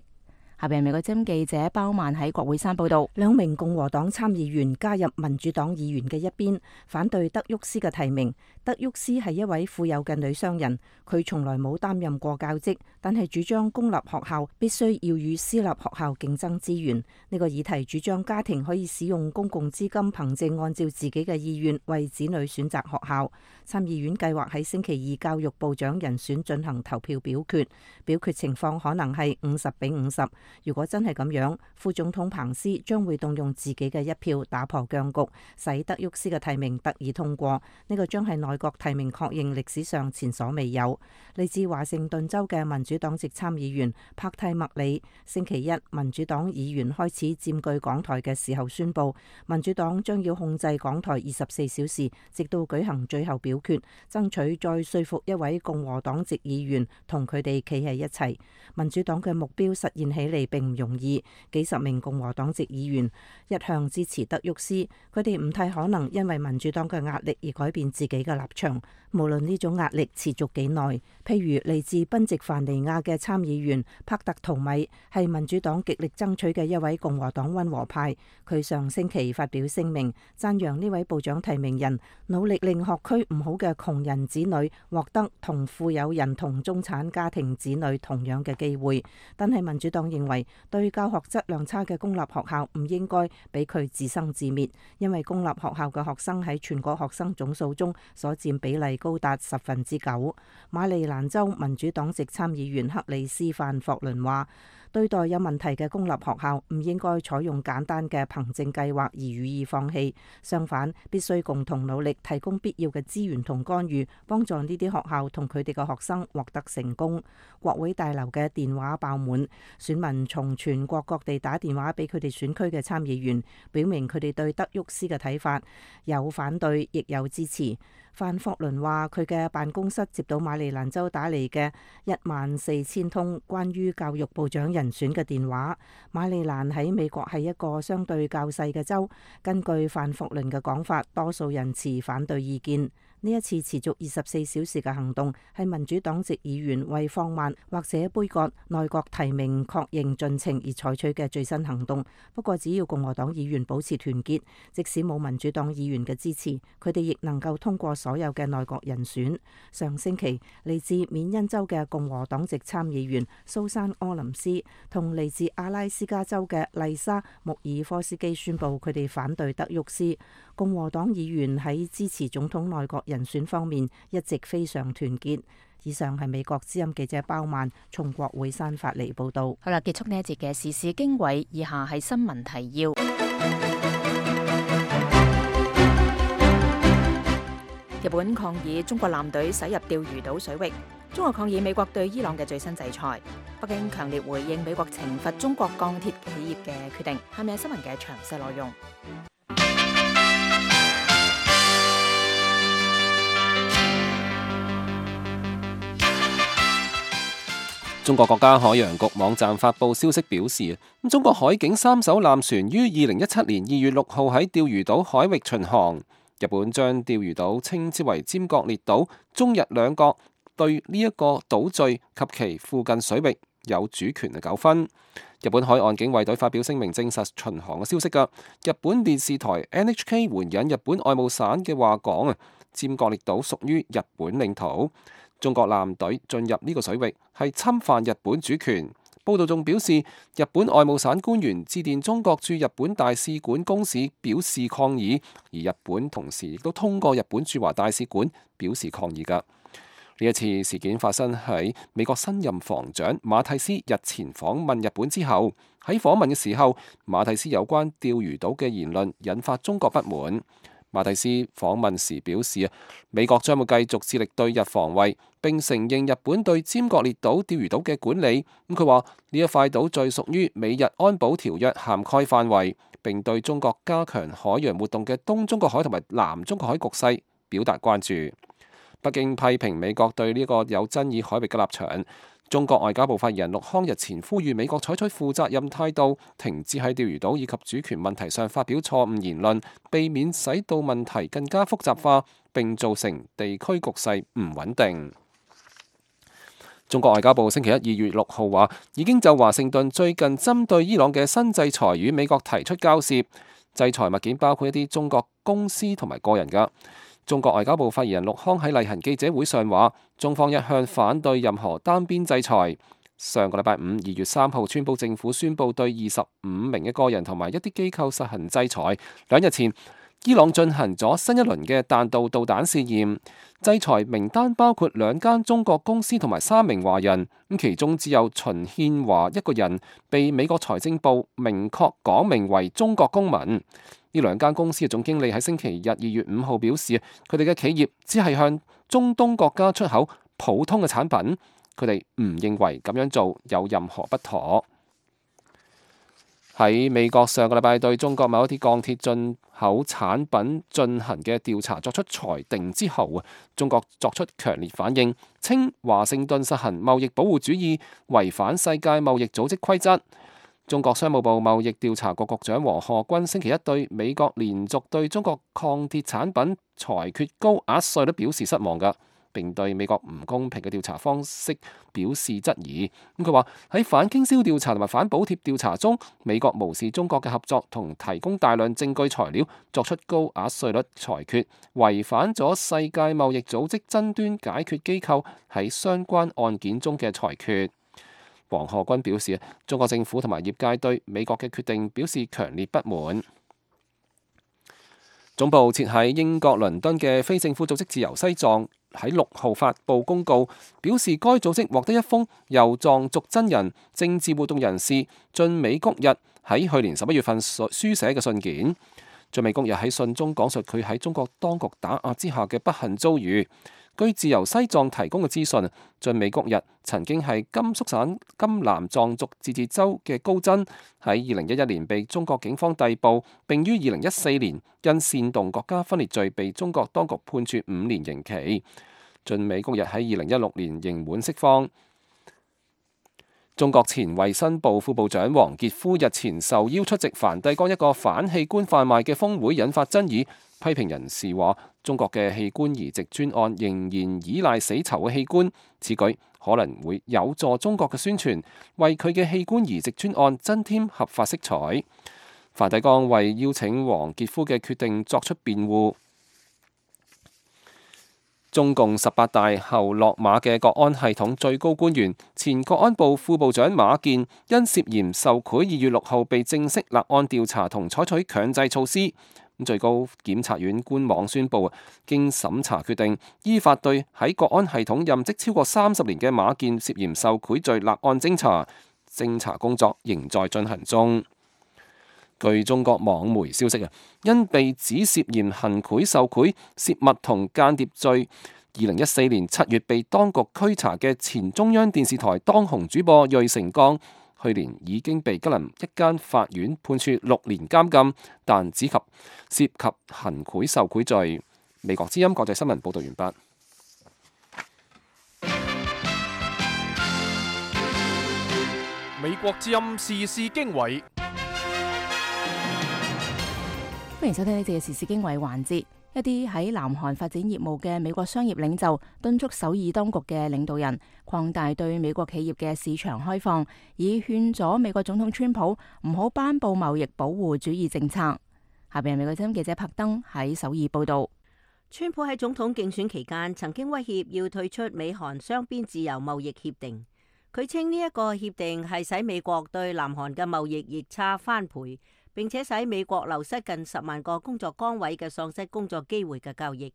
下邊美國之音記者包曼喺國會山報道，2名共和黨參議員加入民主黨議員嘅一邊，反對德沃斯嘅提名。德沃斯係一位富有嘅女商人，佢從來冇擔任過教職，但係主張公立學校必須要與私立學校競爭資源。呢個議題主張家庭可以使用公共資金，憑借按照自己嘅意願為子女選擇學校。參議院計劃喺星期二教育部長人選進行投票表決，表決情況可能係50-50。如果真係咁樣，副總統彭斯將會動用自己嘅一票打破僵局，使德沃斯嘅提名得以通過。呢個將係內閣提名確認歷史上前所未有。嚟自華盛頓州嘅民主黨籍參議員帕蒂麥里星期一民主黨議員開始佔據講台嘅時候宣布，民主黨將要控制講台24小時，直到舉行最後表決，爭取再說服一位共和黨籍議員同佢哋企喺一齊。民主黨嘅目標實現起嚟並唔容易，幾十名共和黨籍議員一向支持德沃斯，佢哋唔太可能因為民主黨嘅壓力而改變自己嘅立場，無論呢種壓力持續幾耐。譬如嚟自賓夕凡尼亞嘅參議員帕特圖米係民主黨極力爭取嘅一位共和黨溫和派，佢上星期發表聲明，讚揚呢位部長提名人努力令學區唔好嘅窮人子女獲得同富有人同中產家庭子女同樣嘅機會，但係民主黨認為對教學質量差嘅公立學校唔應該俾佢自生自滅，因為公立學校嘅學生喺全國學生總數中所佔比例高達9%。馬里蘭州民主黨籍參議員克里斯范霍倫話，對待有問題嘅公立學校唔應該採用簡單嘅憑證計劃而予以放棄，相反必須共同努力提供必要嘅資源同干預，幫助呢啲學校同佢哋嘅學生獲得成功。國會大樓嘅電話爆滿，選民從全國各地打電話俾佢哋選區嘅參議員，表明佢哋對德沃斯嘅睇法，有反對亦有支持。范霍倫話，佢嘅辦公室接到馬里蘭州打嚟嘅14000通關於教育部長人選嘅電話。馬里蘭喺美國係一個相對較細嘅州，根據范霍倫嘅講法，多數人持反對意見。呢一次持續24小時嘅行動係民主黨籍議員為放慢或者杯葛內閣提名確認進程而採取嘅最新行動。不過只要共和黨議員保持團結，即使冇民主黨議員嘅支持，佢哋亦能夠通過所有嘅內閣人選。上星期嚟自緬因州嘅共和黨籍參議員蘇珊柯林斯同嚟自阿拉斯加州嘅麗莎穆爾科斯基宣布佢哋反對德沃斯。共和黨議員喺支持總統內閣人選方面一直非常團結。以上係美國之音記者包曼從國會山發嚟報道。好啦，結束呢一節嘅時事經緯，以下係新聞提要。日本抗議中國艦隊駛入釣魚島水域，中國抗議美國對伊朗嘅最新制裁。北京強烈回應美國懲罰中國鋼鐵企業嘅決定。下面係新聞嘅詳細內容。中國國家海洋局網站發布消息表示，中國海警3艘艦船於2017年2月6號喺釣魚島海域巡航。日本將釣魚島稱之為尖閣列島，中日兩國對呢一個島嶼及其附近水域有主權嘅糾紛。日本海岸警衛隊發表聲明證實巡航嘅消息㗎。日本電視台 NHK 援引日本外務省嘅話講，尖閣列島屬於日本領土。中國艦隊進入呢個水域係侵犯日本主權。報道仲表示，日本外務省官員致電中國駐日本大使館公使表示抗議，而日本同時亦都通過日本駐華大使館表示抗議㗎。呢一次事件發生喺美國新任防長馬蒂斯日前訪問日本之後，喺訪問嘅時候，馬蒂斯有關釣魚島嘅言論引發中國不滿。馬蒂斯訪問時表示，美國將會繼續致力對日防衛，並承認日本對尖閣列島釣魚島嘅管理。佢話呢一塊島最屬於美日安保條約涵蓋範圍，並對中國加強海洋活動嘅東中國海同埋南中國海局勢表達關注。北京批評美國對呢個有爭議海域嘅立場。中國外交部發言人陸康日前呼籲美國採取負責任態度，停止喺釣魚島以及主權問題上發表錯誤言論，避免使到問題更加複雜化，並造成地區局勢唔穩定。中國外交部星期一2月6號話，已經就華盛頓最近針對伊朗嘅新制裁與美國提出交涉，制裁物件包括一啲中國公司同埋個人㗎。中國外交部發言人陸康喺例行記者會上話，中方一向反對任何單邊制裁。上個禮拜5 2月3號，川普政府宣布對25名嘅個人同埋一啲機構實行制裁。2日前，伊朗進行咗新一輪嘅彈道導彈試驗，制裁名單包括2間中國公司同埋3名華人，其中只有秦憲華一個人被美國財政部明確講明為中國公民。呢2間公司嘅總經理喺星期日2月5號表示，佢哋嘅企業只係向中東國家出口普通嘅產品，佢哋唔認為咁樣做有任何不妥。喺美國上個禮拜對中國某一啲鋼鐵進口產品進行嘅調查作出裁定之後，中國作出強烈反應，稱華盛頓實行貿易保護主義，違反世界貿易組織規則。中國商務部貿易調查局局長王賀軍星期一對美國連續對中國鋼鐵產品裁決高額稅率表示失望㗎，並對美國唔公平嘅調查方式表示質疑。佢話喺反傾銷調查同埋反補貼調查中，美國無視中國嘅合作同提供大量證據材料，作出高額稅率裁決，違反咗世界貿易組織爭端解決機構喺相關案件中嘅裁決。王賀軍表示，中國政府同埋業界對美國嘅決定表示強烈不滿。總部設喺英國倫敦嘅非政府組織自由西藏喺6號發布公告，表示該組織獲得一封由藏族真人政治活動人士晉美谷日喺去年11月份書寫嘅信件。晉美谷日喺信中講述佢喺中國當局打壓之下嘅不幸遭遇。據自由西藏提供嘅資訊，晉美谷日曾經係甘肅省甘南藏族自治州嘅高真，喺2011年被中國警方逮捕，並於2014年因煽動國家分裂罪被中國當局判處5年刑期。晉美谷日喺2016年刑滿釋放。中國前衛生部副部長王傑夫日前受邀出席梵蒂岡一個反器官販賣嘅峰會，引發爭議。批評人士話，中國嘅器官移植專案仍然依賴死囚嘅器官，此舉可能會有助中國嘅宣傳，為佢嘅器官移植專案增添合法色彩。梵蒂岡為邀請黃傑夫嘅決定作出辯護。中共18大後落馬嘅國安系統最高官員、前國安部副部長馬建因涉嫌受賄2月6號被正式立案調查同採取強制措施。最高檢察院官網宣布，經審查決定，依法對喺國安系統任職超過30年嘅馬建涉嫌受賄罪立案偵查，偵查工作仍在進行中。據中國網媒消息，因被指涉嫌行賄受賄、泄密同間諜罪，2014年7月被當局拘查嘅前中央電視台當紅主播芮成鋼，去年已經被吉林一間法院判處6年監禁，但只及涉及行賄受賄罪。美國之音國際新聞報道完畢。美國之音時事經緯。歡迎收聽呢節嘅時事經緯環節。一啲喺南韓發展業務嘅美國商業領袖敦促首爾當局嘅領導人擴大對美國企業嘅市場開放，以勸阻美國總統川普唔好頒布貿易保護主義政策。下邊係美國之音記者柏登喺首爾報道。川普喺總統競選期間曾經威脅要退出美韓雙邊自由貿易協定，佢稱呢一個協定係使美國對南韓嘅貿易逆差翻倍，並且使美國流失近10萬個工作崗位嘅喪失工作機會嘅交易。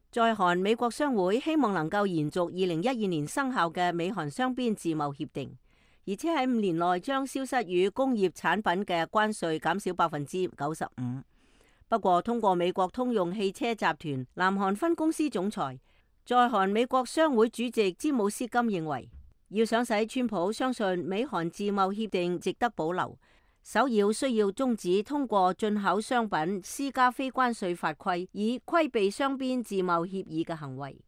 在韓美國商會希望能夠延續2012年生效嘅美韓雙邊自貿協定，而且喺5年內將消失與工業產品嘅關稅減少95%。不過，通過美國通用汽車集團南韓分公司總裁，在韓美國商會主席詹姆斯金認為，要想使川普相信美韓自貿協定值得保留，首要需要終止通過進口商品施加非關稅法規，以規避雙邊自貿協議嘅行為。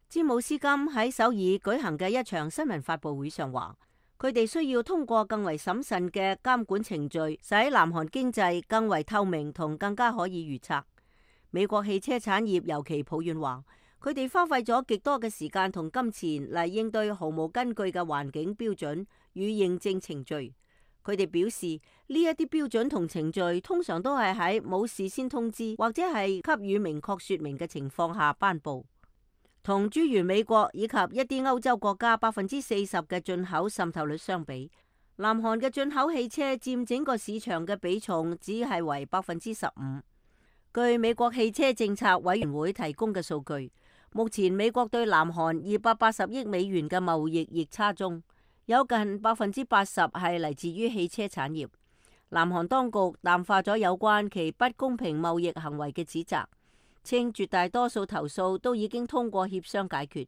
詹姆斯金喺首爾舉行嘅一場新聞發佈會上話，佢哋需要通過更為審慎嘅監管程序，使南韓經濟更為透明同更加可以預測。美國汽車產業尤其抱怨話，佢哋花費咗極多嘅時間同金錢嚟應對毫無根據嘅環境標準與認證程序。佢哋表示，呢一啲標準同程序通常都係喺冇事先通知或者係給予明確說明嘅情況下頒布。同諸如美國以及一啲歐洲國家40%嘅進口滲透率相比，南韓嘅進口汽車佔整個市場嘅比重只係為15%。據美國汽車政策委員會提供嘅數據，目前美國對南韓280億美元嘅貿易逆差中，有近80%係嚟自於汽車產業。南韓當局淡化咗有關其不公平貿易行為嘅指責，稱絕大多數投訴都已經通過協商解決，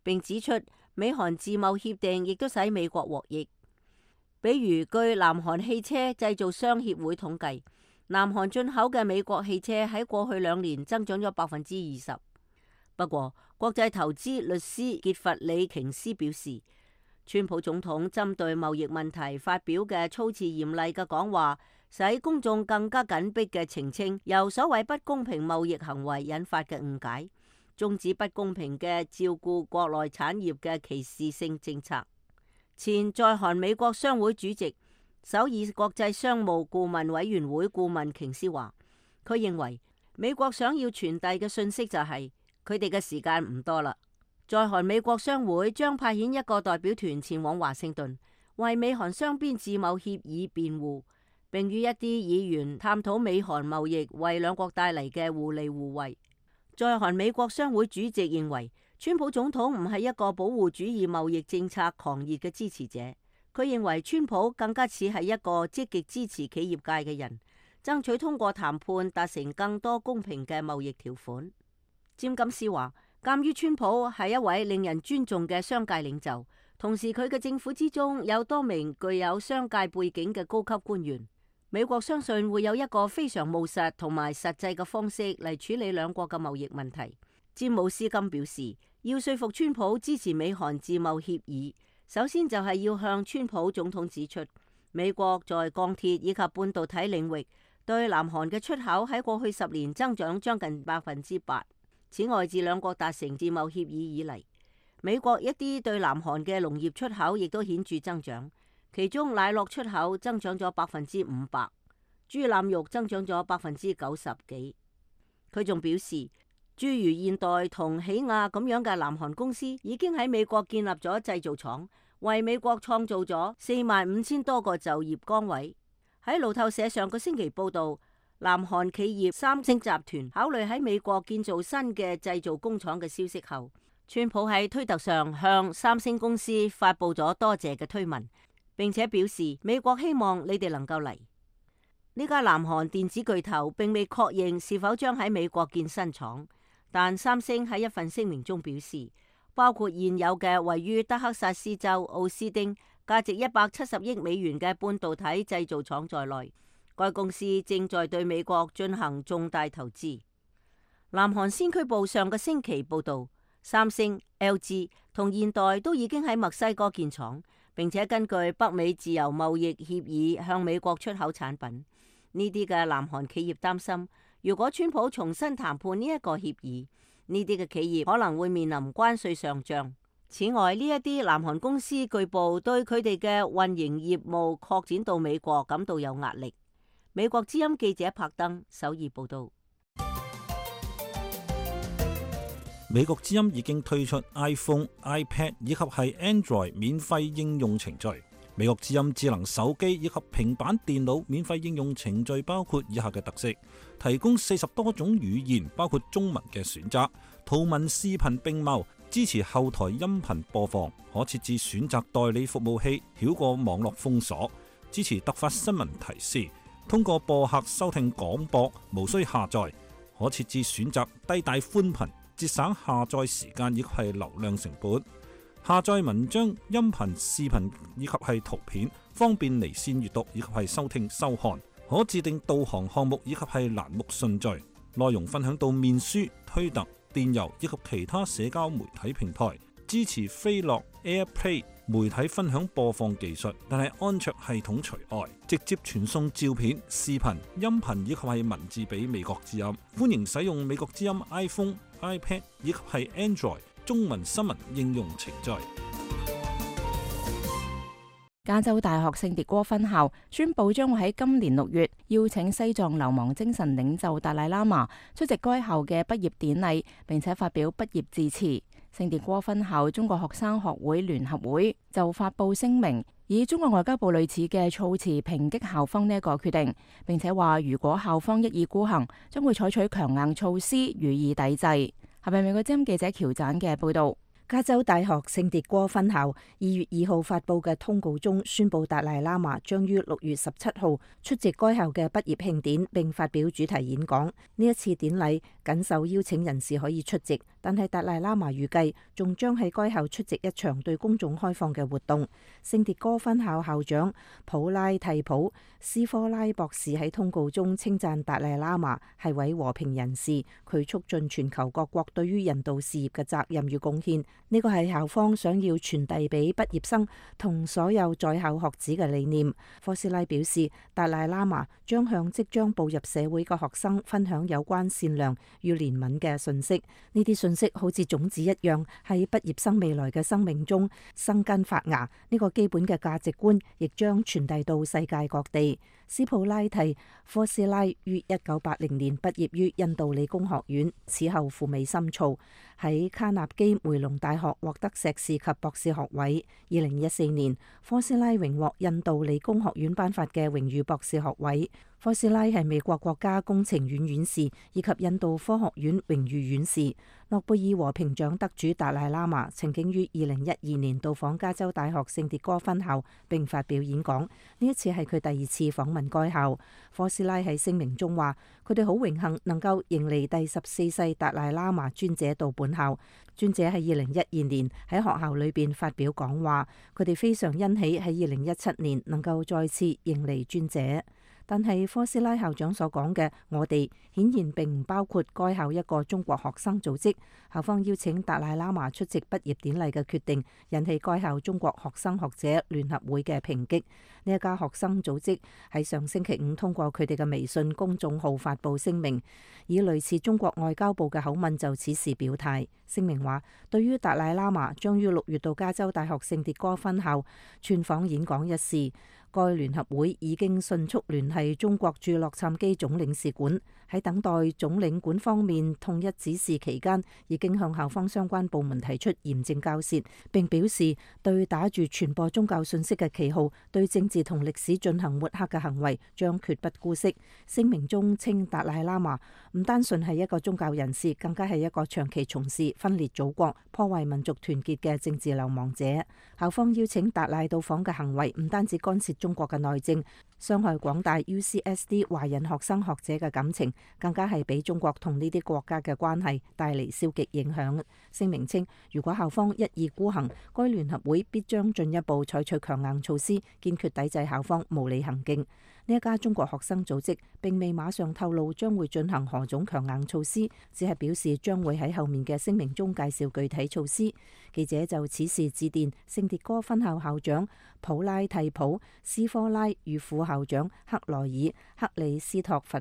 並指出美韓自貿協定亦都使美國獲益。比如據南韓汽車製造商協會統計，南韓進口嘅美國汽車喺過去2年增長咗20%。不過，國際投資律師傑弗里瓊斯表示，川普總統針對貿易問題發表嘅措辭嚴厲嘅講話，使公眾更加緊迫嘅澄清由所謂不公平貿易行為引發嘅誤解，終止不公平嘅照顧國內產業嘅歧視性政策。前在韓美國商會主席、首爾國際商務顧問委員會顧問瓊斯話，佢認為美國想要傳遞嘅訊息就係佢哋嘅時間唔多啦。在韓美國商會將派遣一個代表團前往華盛頓，為美韓雙邊自貿協議辯護，並與一啲議員探討美韓貿易為兩國帶嚟嘅互利互惠。在韓美國商會主席認為，川普總統唔係一個保護主義貿易政策狂熱嘅支持者，佢認為川普更加似係一個積極支持企業界嘅人，爭取通過談判達成更多公平嘅貿易條款。詹金斯話，鑑於川普係一位令人尊重嘅商界領袖，同時佢嘅政府之中有多名具有商界背景嘅高級官員，美國相信會有一個非常務實同埋實際嘅方式嚟處理兩國嘅貿易問題。詹姆斯金表示，要說服川普支持美韓自貿協議，首先就係要向川普總統指出，美國在鋼鐵以及半導體領域對南韓嘅出口喺過去10年增長將近8%。此外，自兩國達成自貿協議以嚟，美國一啲對南韓嘅農業出口亦都顯著增長，其中奶酪出口增長咗500%，豬腩肉增長咗90%幾。佢仲表示，諸如現代同起亞咁樣嘅南韓公司已經喺美國建立咗製造廠，為美國創造咗45,000多個就業崗位。喺路透社上個星期報導，南韓企業三星集團考慮喺美國建造新嘅製造工廠嘅消息後，川普喺推特上向三星公司發布咗多謝嘅推文，並且表示美國希望你哋能夠嚟。呢家南韓電子巨頭並未確認是否將喺美國建新廠，但三星喺一份聲明中表示，包括現有嘅位於德克薩斯州奧斯丁價值170億美元嘅半導體製造廠在內，該公司正在對美國進行重大投資。南韓先驅報上個星期報導，三星、LG 同現代都已經喺墨西哥建廠，並且根據北美自由貿易協議向美國出口產品。呢啲嘅南韓企業擔心，如果川普重新談判呢一個協議，呢啲嘅企業可能會面臨關稅上漲。此外，呢一啲南韓公司據報對佢哋嘅運營業務擴展到美國感到有壓力。美國之音記者柏登首爾報道。美國之音已經推出 iPhone、iPad 以及係 Android 免費應用程序。美國之音智能手機以及平板電腦免費應用程序包括以下嘅特色：提供40多種語言，包括中文嘅選擇，圖文視頻並茂，支持後台音頻播放，可設置選擇代理服務器，繞過網絡封鎖，支持突發新聞提示。通過播客收聽廣播，無需下載，可設置選擇低帶寬頻，節省下載時間以及係流量成本。下載文章、音頻、視頻以及係圖片，方便離線閱讀以及係收聽收看。可自定導航項目以及係欄目順序。內容分享到面書、推特、電郵以及其他社交媒體平台。支持飛樂 AirPlay 媒體分享播放技術，但係安卓系統除外，直接傳送照片、視頻、音頻以及係文字俾美國之音。歡迎使用美國之音 iPhone、iPad 以及係 Android 中文新聞應用程序。加州大學聖迭戈分校宣布將會喺今年6月邀請西藏流亡精神領袖達賴喇嘛出席該校嘅畢業典禮，並且發表畢業致辭。聖迭戈分校中國學生學會聯合會就發布聲明，以中國外交部類似嘅措辭抨擊校方呢一個決定，並且話如果校方一意孤行，將會採取強硬措施予以抵制。係咪美國之音記者喬盞嘅報道？加州大學聖迭戈分校2月2號發布嘅通告中宣布，達賴喇嘛將於6月17號出席該校嘅畢業慶典，並發表主題演講。呢一次典禮僅受邀請人士可以出席，但係達賴喇嘛預計仲將喺該校出席一場對公眾開放嘅活動。聖迭戈分校校長普拉蒂普斯科拉博士喺通告中稱讚達賴喇嘛係位和平人士，佢促進全球各國對於人道事業嘅責任與貢獻。呢個係校方想要傳遞俾畢業生同所有在校學子嘅理念。科斯拉表示，達賴喇嘛將向即將步入社會嘅學生分享有關善良與憐憫嘅信息。呢啲信息好似種子一樣，喺畢業生未來嘅生命中生根發芽。呢個基本嘅價值觀亦將傳遞到世界各地。斯普拉蒂科斯拉於1980年畢業於印度理工學院，此後赴美深造，喺卡納基梅隆大學獲得碩士及博士學位。2014年，科斯拉榮獲印度理工學院頒發嘅榮譽博士學位。科斯拉係美國國家工程院院士以及印度科學院榮譽院士。諾貝爾和平獎得主達賴喇嘛曾經於2012年到訪加州大學聖迭戈分校並發表演講，呢一次係佢第2次訪問該校。科斯拉喺聲明中話，佢哋好榮幸能夠迎嚟第14世達賴喇嘛尊者到本校。尊者喺2012年喺學校裏邊發表講話，佢哋非常欣喜喺2017年能夠再次迎嚟尊者。但係科斯拉校長所講嘅我哋顯然並唔包括該校一個中國學生組織。校方邀請達賴喇嘛出席畢業典禮嘅決定引起該校中國學生學者聯合會嘅抨擊。呢一家學生組織喺上星期五通過佢哋嘅微信公眾號發布聲明，以類似中國外交部嘅口吻就此事表態。聲明話，對於達賴喇嘛將於6月到加州大學聖迭戈分校竄訪演講一事，該聯合會已經迅速聯繫中國駐洛杉磯總領事館，喺等待總領館方面統一指示期間，已經向校方相關部門提出嚴正交涉，並表示對打住傳播宗教信息嘅旗號，對政治同歷史進行抹黑嘅行為將絕不姑息。聲明中稱達賴喇嘛唔單純係一個宗教人士，更加係一個長期從事分裂祖國、破壞民族團結嘅政治流亡者。校方邀請達賴到訪嘅行為唔單止干涉中國嘅內政，傷害廣大 UCSD 華人學生學者嘅感情，更加係俾中國同呢啲國家嘅關係帶嚟消極影響。聲明稱，如果校方一意孤行，該聯合會必將進一步採取強硬措施，堅決抵制校方無理行徑。呢一家中國學生組織並未馬上透露將會進行何種強硬措施，只係表示將會喺後面嘅聲明中介紹具體措施。記者就此事致電聖迭戈分校校長普拉蒂普斯科拉與副校長克萊爾克里斯托弗。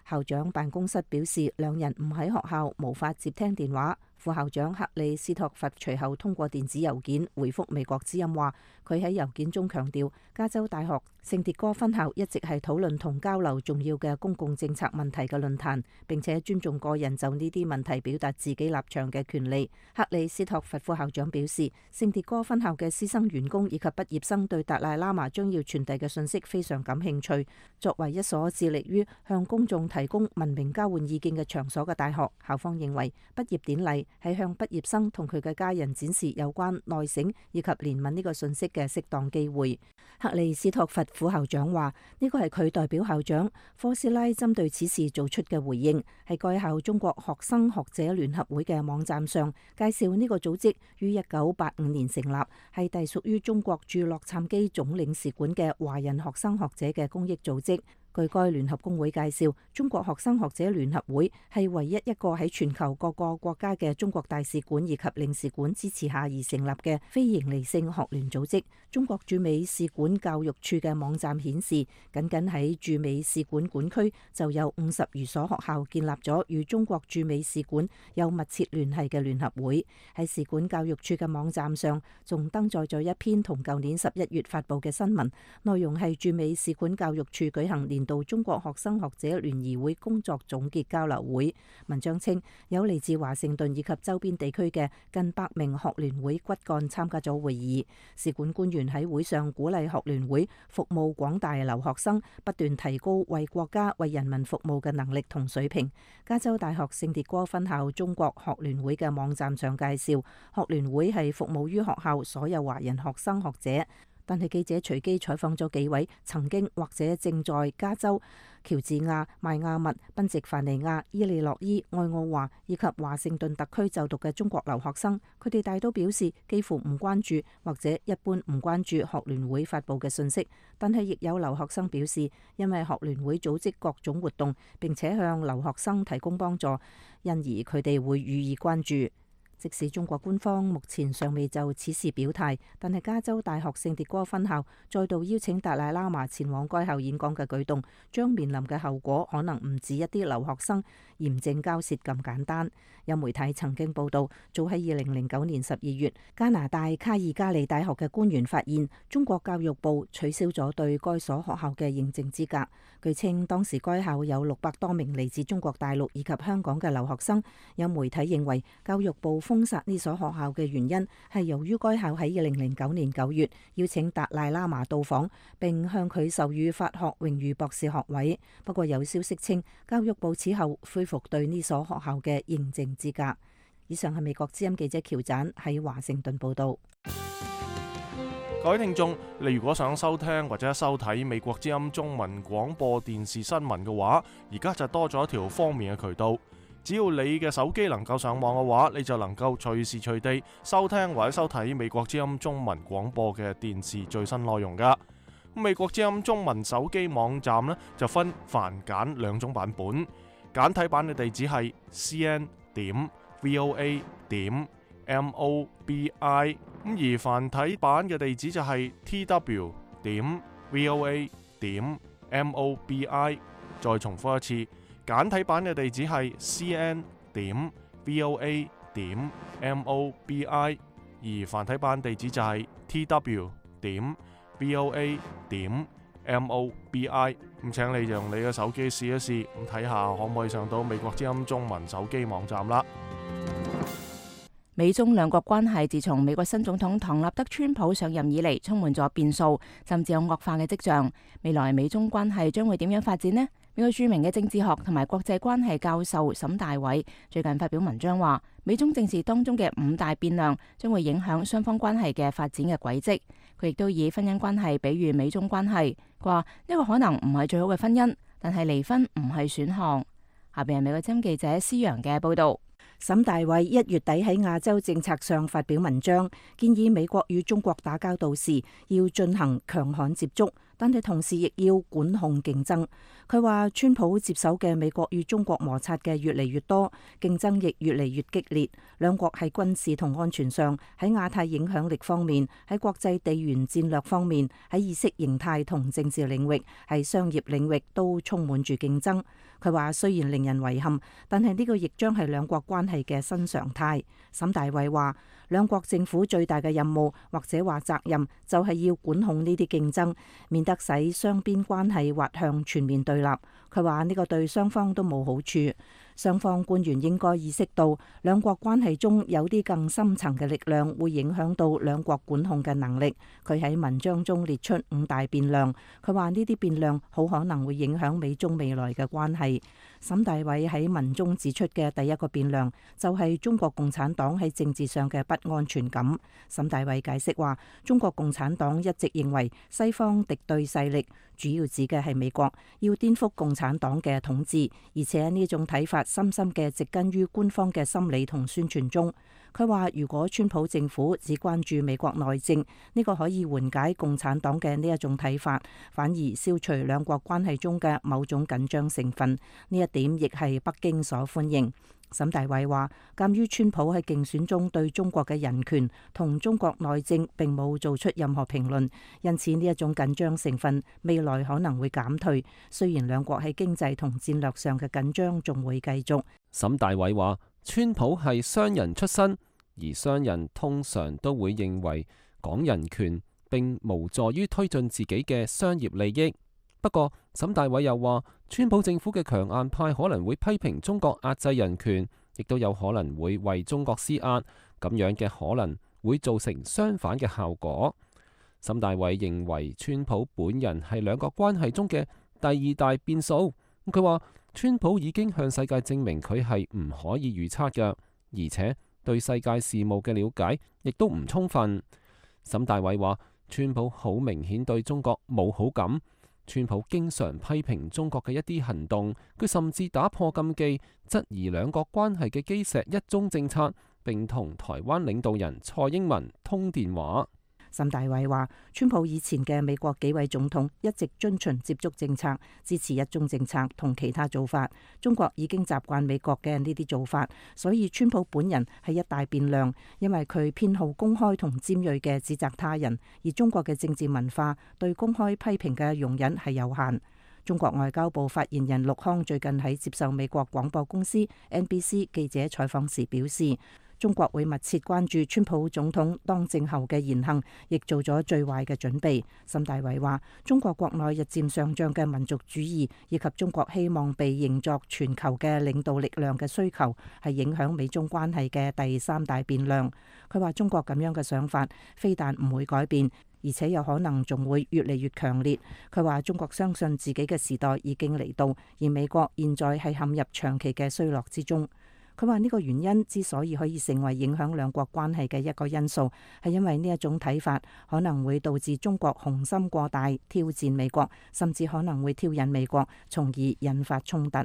校長辦公室表示，兩人唔喺學校，無法接聽電話。副校長克里斯托弗隨後通過電子郵件回覆美國之音話，佢喺郵件中強調，加州大學聖迭戈分校一直係討論同交流重要嘅公共政策問題嘅論壇，並且尊重個人就呢啲問題表達自己立場嘅權利。克里斯托弗副校長表示，聖迭戈分校嘅師生員工以及畢業生對達賴喇嘛將要傳遞嘅信息非常感興趣。作為一所致力於向公眾提供文明交換意見嘅場所嘅大學，校方認為畢業典禮係向畢業生同佢嘅家人展示有關內省以及憐憫呢個信息嘅適當機會。克里斯托弗副校長話，呢個係佢代表校長科斯拉針對此事做出嘅回應，係該校中國學生學者聯合會嘅網站上介紹呢個組織於1985年成立，係隸屬於中國駐洛杉磯總領事館嘅華人學生學者嘅公益組織。據該聯合工會介紹，中國學生學者聯合會係唯一一個喺全球各個國家嘅中國大使館以及領事館支持下而成立嘅非營利性學聯組織。中國駐美使館教育處嘅網站顯示，僅僅喺駐美使館館區就有50餘所學校建立咗與中國駐美使館有密切聯繫嘅聯合會。喺使館教育處嘅網站上，仲登載咗一篇同舊年11月發布嘅新聞，內容係駐美使館教育處舉行年度中國學生學者聯誼會工作總結交流會。文章稱，有嚟自華盛頓以及周邊地區嘅近100名學聯會骨幹參加咗會議。使館官員喺會上鼓勵學聯會服務廣大留學生，不斷提高為國家為人民服務嘅能力同水平。加州大學聖迭戈分校中國學聯會嘅網站上介紹，學聯會係服務於學校所有華人學生學者。但係記者隨機採訪咗幾位曾經或者正在加州、喬治亞、邁阿密、賓夕凡尼亞、伊利諾伊、愛奧華以及華盛頓特區就讀嘅中國留學生，佢哋大都表示幾乎唔關注或者一般唔關注學聯會發布嘅信息。但係亦有留學生表示，因為學聯會組織各種活動並且向留學生提供幫助，因而佢哋會予以關注。即使中國官方目前尚未就此事表態，但係加州大學聖迭戈分校再度邀請達賴喇嘛前往該校演講嘅舉動，將面臨嘅後果可能唔止一啲留學生嚴正交涉咁簡單。有媒體曾經報道，早喺2009年12月，加拿大卡爾加里大學嘅官員發現，中國教育部取消咗對該所學校嘅認證資格。據稱，當時該校有600多名嚟自中國大陸以及香港嘅留學生。有媒體認為，教育部封殺呢所學校嘅原因係由於該校喺2009年9月邀請達賴喇嘛到訪，並向佢授予法學榮譽博士學位。不過有消息稱，教育部此後恢復對呢所學校嘅認證資格。以上係美國之音記者喬盞喺華盛頓報道。各位聽眾，你如果想收聽或者收睇美國之音中文廣播電視新聞嘅話，而家就多咗一條方便嘅渠道。只要你嘅手機能夠上網嘅話，你就能夠隨時隨地收聽或者收睇美國之音中文廣播嘅電視最新內容㗎。美國之音中文手機網站呢就分繁簡兩種版本，簡體版嘅地址係 cn.voa.mobi， 而繁體版嘅地址就係 tw.voa.mobi。再重複一次，簡體版嘅地址係 cn.voa.mobi， 而繁體版地址就係 tw.voa.mobi。咁請你用你嘅手機試一試，咁睇下可唔可以上到美國之音中文手機網站啦。美中兩國關係自從美國新總統唐納德川普上任以嚟，充滿咗變數，甚至有惡化嘅跡象。未來美中關係將會點樣發展呢？美國著名嘅政治學同埋國際關係教授沈大偉最近發表文章話，美中政治當中嘅5大變量將會影響雙方關係嘅發展嘅軌跡。佢亦都以婚姻關係比喻美中關係，佢話呢個可能唔係最好嘅婚姻，但係離婚唔係選項。下邊係美國之音記者施陽嘅報道。沈大偉1月底喺亞洲政策上發表文章，建議美國與中國打交道時要進行強悍接觸，但係同時亦要管控競爭。佢話川普接手嘅美國與中國摩擦嘅越嚟越多，競爭亦越嚟越激烈。兩國喺軍事同安全上，喺亞太影響力方面，喺國際地緣戰略方面，喺意識形態同政治領域，喺商業領域都充滿住競爭。佢話雖然令人遺憾，但係呢個亦將係兩國關係嘅新常態。沈大偉話，兩國政府最大嘅任務或者話責任就係要管控呢啲競爭，免得使雙邊關係滑向全面對立。佢話呢個對雙方都冇好處。雙方官員應該意識到，兩國關係中有啲更深層嘅力量會影響到兩國管控嘅能力。佢喺文章中列出5大變量，佢話呢啲變量好可能會影響美中未來嘅關係。沈大偉喺文中指出嘅第一個變量就係中國共產黨喺政治上嘅不安全感。沈大偉解釋話，中國共產黨一直認為西方敵對勢力，主要指嘅係美國，要顛覆共產黨嘅統治，而且呢種睇法深深嘅植根於官方嘅心理同宣傳中。佢話如果川普政府只關注美國內政，呢個可以緩解共產黨嘅呢一種睇法，反而消除兩國關係中嘅某種緊張成分。呢一點亦係北京所歡迎。沈大偉話，鑑於川普喺競選中對中國嘅人權同中國內政並冇做出任何評論，因此呢一種緊張成分未來可能會減退。雖然兩國喺經濟同戰略上嘅緊張仲會繼續。沈大偉話，川普係商人出身，而商人通常都會認為講人權並無助於推進自己嘅商業利益。不過，沈大偉又話，川普政府嘅強硬派可能會批評中國壓制人權，亦都有可能會為中國施壓，咁樣嘅可能會造成相反嘅效果。沈大偉認為川普本人係兩國關係中嘅第2大變數。佢話川普已經向世界證明佢係唔可以預測嘅，而且對世界事務嘅了解亦都唔充分。沈大偉話，川普好明顯對中國冇好感。川普經常批評中國嘅一啲行動，佢甚至打破禁忌，質疑兩國關係嘅基石一中政策，並同台灣領導人蔡英文通電話。沈大偉話，川普以前嘅美國幾位總統一直遵循接觸政策，支持一中政策同其他做法。中國已經習慣美國嘅呢啲做法，所以川普本人係一大變量，因為佢偏好公開同尖銳嘅指責他人，而中國嘅政治文化對公開批評嘅容忍係有限。中國外交部發言人陸康最近喺接受美國廣播公司 NBC 記者採訪時表示，中國會密切關注川普總統當政後嘅言行，亦做咗最壞嘅準備。沈大偉話，中國國內日漸上漲嘅民族主義，以及中國希望被認作全球嘅領導力量嘅需求，係影響美中關係嘅第3大變量。佢話中國咁樣嘅想法，非但唔會改變，而且有可能仲會越嚟越強烈。佢話中國相信自己嘅時代已經嚟到，而美國現在係陷入長期嘅衰落之中。佢話呢個原因之所以可以成為影響兩國關係嘅一個因素，係因為呢一種睇法可能會導致中國雄心過大，挑戰美國，甚至可能會挑釁美國，從而引發衝突。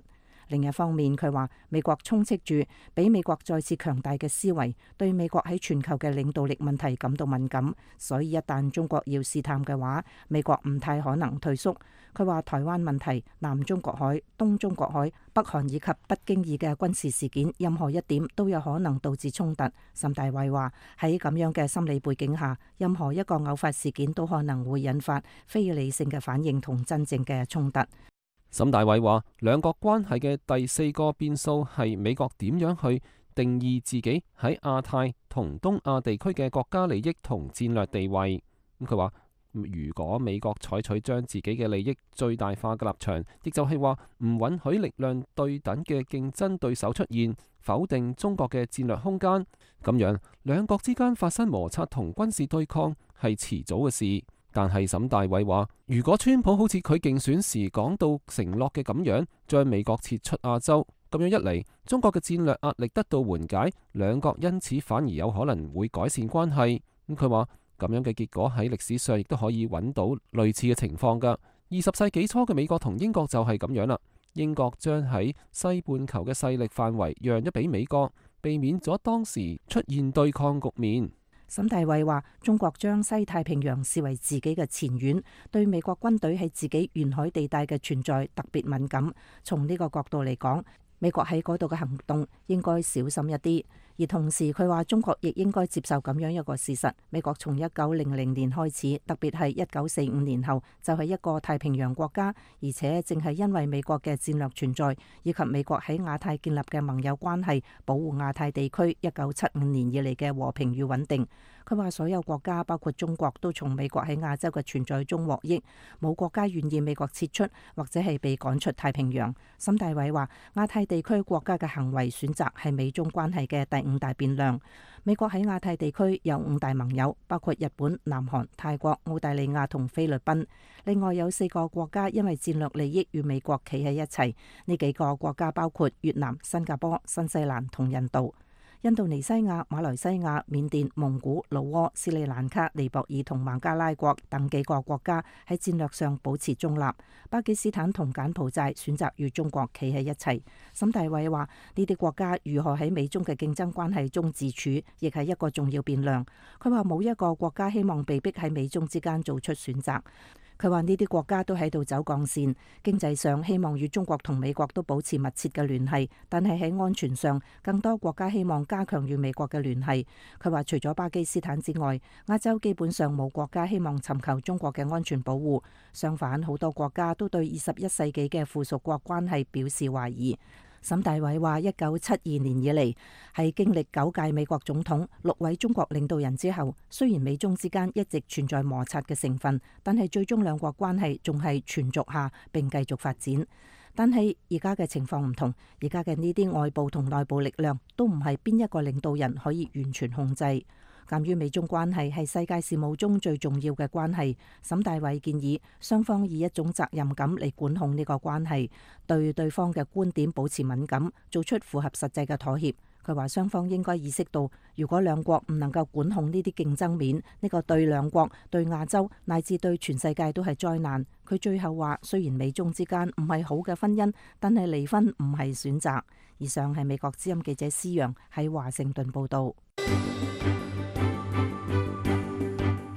另一方面，佢話美國充斥住比美國再次強大嘅思維，對美國喺全球嘅領導力問題感到敏感，所以一旦中國要試探嘅話，美國唔太可能退縮。佢話台灣問題、南中國海、東中國海、北韓以及不經意嘅軍事事件，任何一點都有可能導致衝突。沈大偉話喺咁樣嘅心理背景下，任何一個偶發事件都可能會引發非理性嘅反應同真正嘅衝突。沈大偉話，兩國關係嘅第四個變數係美國點樣去定義自己喺亞太同東亞地區嘅國家利益同戰略地位。佢話，如果美國採取將自己嘅利益最大化嘅立場，亦就係話唔允許力量對等嘅競爭對手出現，否定中國嘅戰略空間，咁樣兩國之間發生摩擦同軍事對抗係遲早嘅事。但係沈大偉話，如果川普好似佢競選時講到承諾嘅咁樣，將美國撤出亞洲，咁樣一嚟，中國嘅戰略壓力得到緩解，兩國因此反而有可能會改善關係。佢話咁樣嘅結果喺歷史上亦都可以揾到類似嘅情況㗎。20世紀初嘅美國同英國就係咁樣啦。英國將喺西半球嘅勢力範圍讓咗俾美國，避免咗當時出現對抗局面。沈大偉話：中國將西太平洋視為自己嘅前院，對美國軍隊喺自己沿海地帶嘅存在特別敏感。從呢個角度嚟講，美國喺嗰度嘅行動應該小心一啲。而同時，佢話中國亦應該接受咁樣一個事實：美國從1900年開始，特別係1945年後，就係一個太平洋國家，而且正係因為美國嘅戰略存在，以及美國喺亞太建立嘅盟友關係，保護亞太地區1975年以嚟嘅和平與穩定。佢話所有國家，包括中國，都從美國喺亞洲嘅存在中獲益，冇國家願意美國撤出或者係被趕出太平洋。沈大偉話：亞太地區國家嘅行為選擇係美中關係嘅第5大變量。美國喺亞太地區有5大盟友，包括日本、南韓、泰國、澳大利亞同菲律賓。另外有4個國家因為戰略利益與美國企喺一齊，呢幾個國家包括越南、新加坡、新西蘭同印度。印度尼西亞、馬來西亞、緬甸、蒙古、老撾、斯里蘭卡、尼泊爾同孟加拉國等幾個國家喺戰略上保持中立。巴基斯坦同柬埔寨選擇與中國企喺一齊。沈大偉話：呢啲國家如何喺美中嘅競爭關係中自處，亦係一個重要變量。佢話冇一個國家希望被逼喺美中之間做出選擇。佢話呢啲國家都喺度走鋼線，經濟上希望與中國同美國都保持密切嘅聯繫，但係喺安全上，更多國家希望加強與美國嘅聯繫。佢話除咗巴基斯坦之外，亞洲基本上冇國家希望尋求中國嘅安全保護，相反，好多國家都對21世紀嘅附屬國關係表示懷疑。沈大偉話：1972年以嚟，係經歷9屆美國總統、6位中國領導人之後，雖然美中之間一直存在摩擦嘅成分，但係最終兩國關係仲係存續下並繼續發展。但係而家嘅情況唔同，而家嘅呢啲外部同內部力量都唔係邊一個領導人可以完全控制。鑑於美中關係係世界事務中最重要嘅關係，沈大偉建議雙方以一種責任感嚟管控呢個關係，對對方嘅觀點保持敏感，做出符合實際嘅妥協。佢話雙方應該意識到，如果兩國唔能夠管控呢啲競爭面，呢個對兩國、對亞洲乃至對全世界都係災難。佢最後話：雖然美中之間唔係好嘅婚姻，但係離婚唔係選擇。以上係美國之音記者施陽喺華盛頓報導。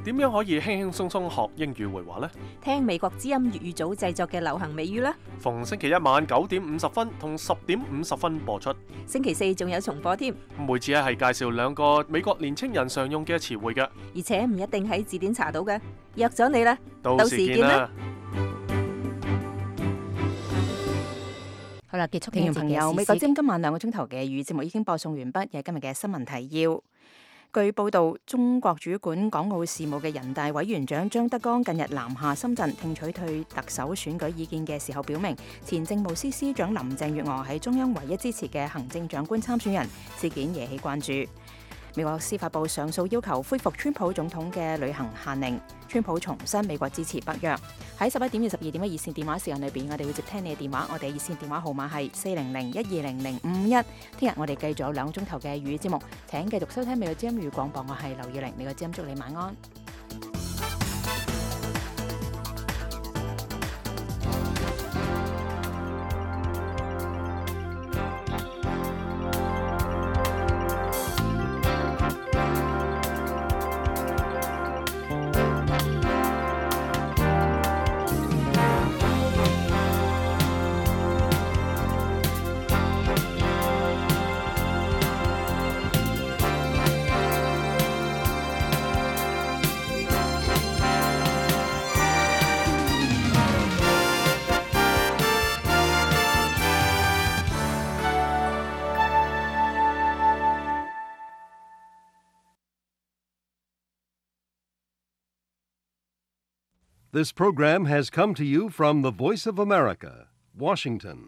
點樣可以輕輕鬆鬆學英語會話呢？聽美國之音粵語組製作嘅流行美語啦！逢星期一晚9點50分同10點50分播出。星期4仲有重播添。每次係介紹2個美國年青人常用嘅詞彙嘅，而且唔一定喺字典查到嘅。約咗你啦，到時見啦！好啦，結束聽眾朋友，美國之音今晚2個鐘頭嘅語節目已經播送完畢，有今日嘅新聞提要。據報道，中國主管港澳事務嘅人大委員長張德江近日南下深圳聽取對特首選舉意見嘅時候，表明前政務司司長林鄭月娥係中央唯一支持嘅行政長官參選人，事件惹起關注。美國司法部上訴要求恢復川普總統嘅旅行限令，川普重申美國支持北約。喺11點至12點嘅熱線電話時間裏邊，我哋會接聽你嘅電話，我哋熱線電話號碼係400-120-051。聽日我哋繼續有2個鐘頭嘅語節目，請繼續收聽美國之音粵語廣播，我係劉耀玲，美國之音祝你晚安。This program has come to you from the Voice of America, Washington.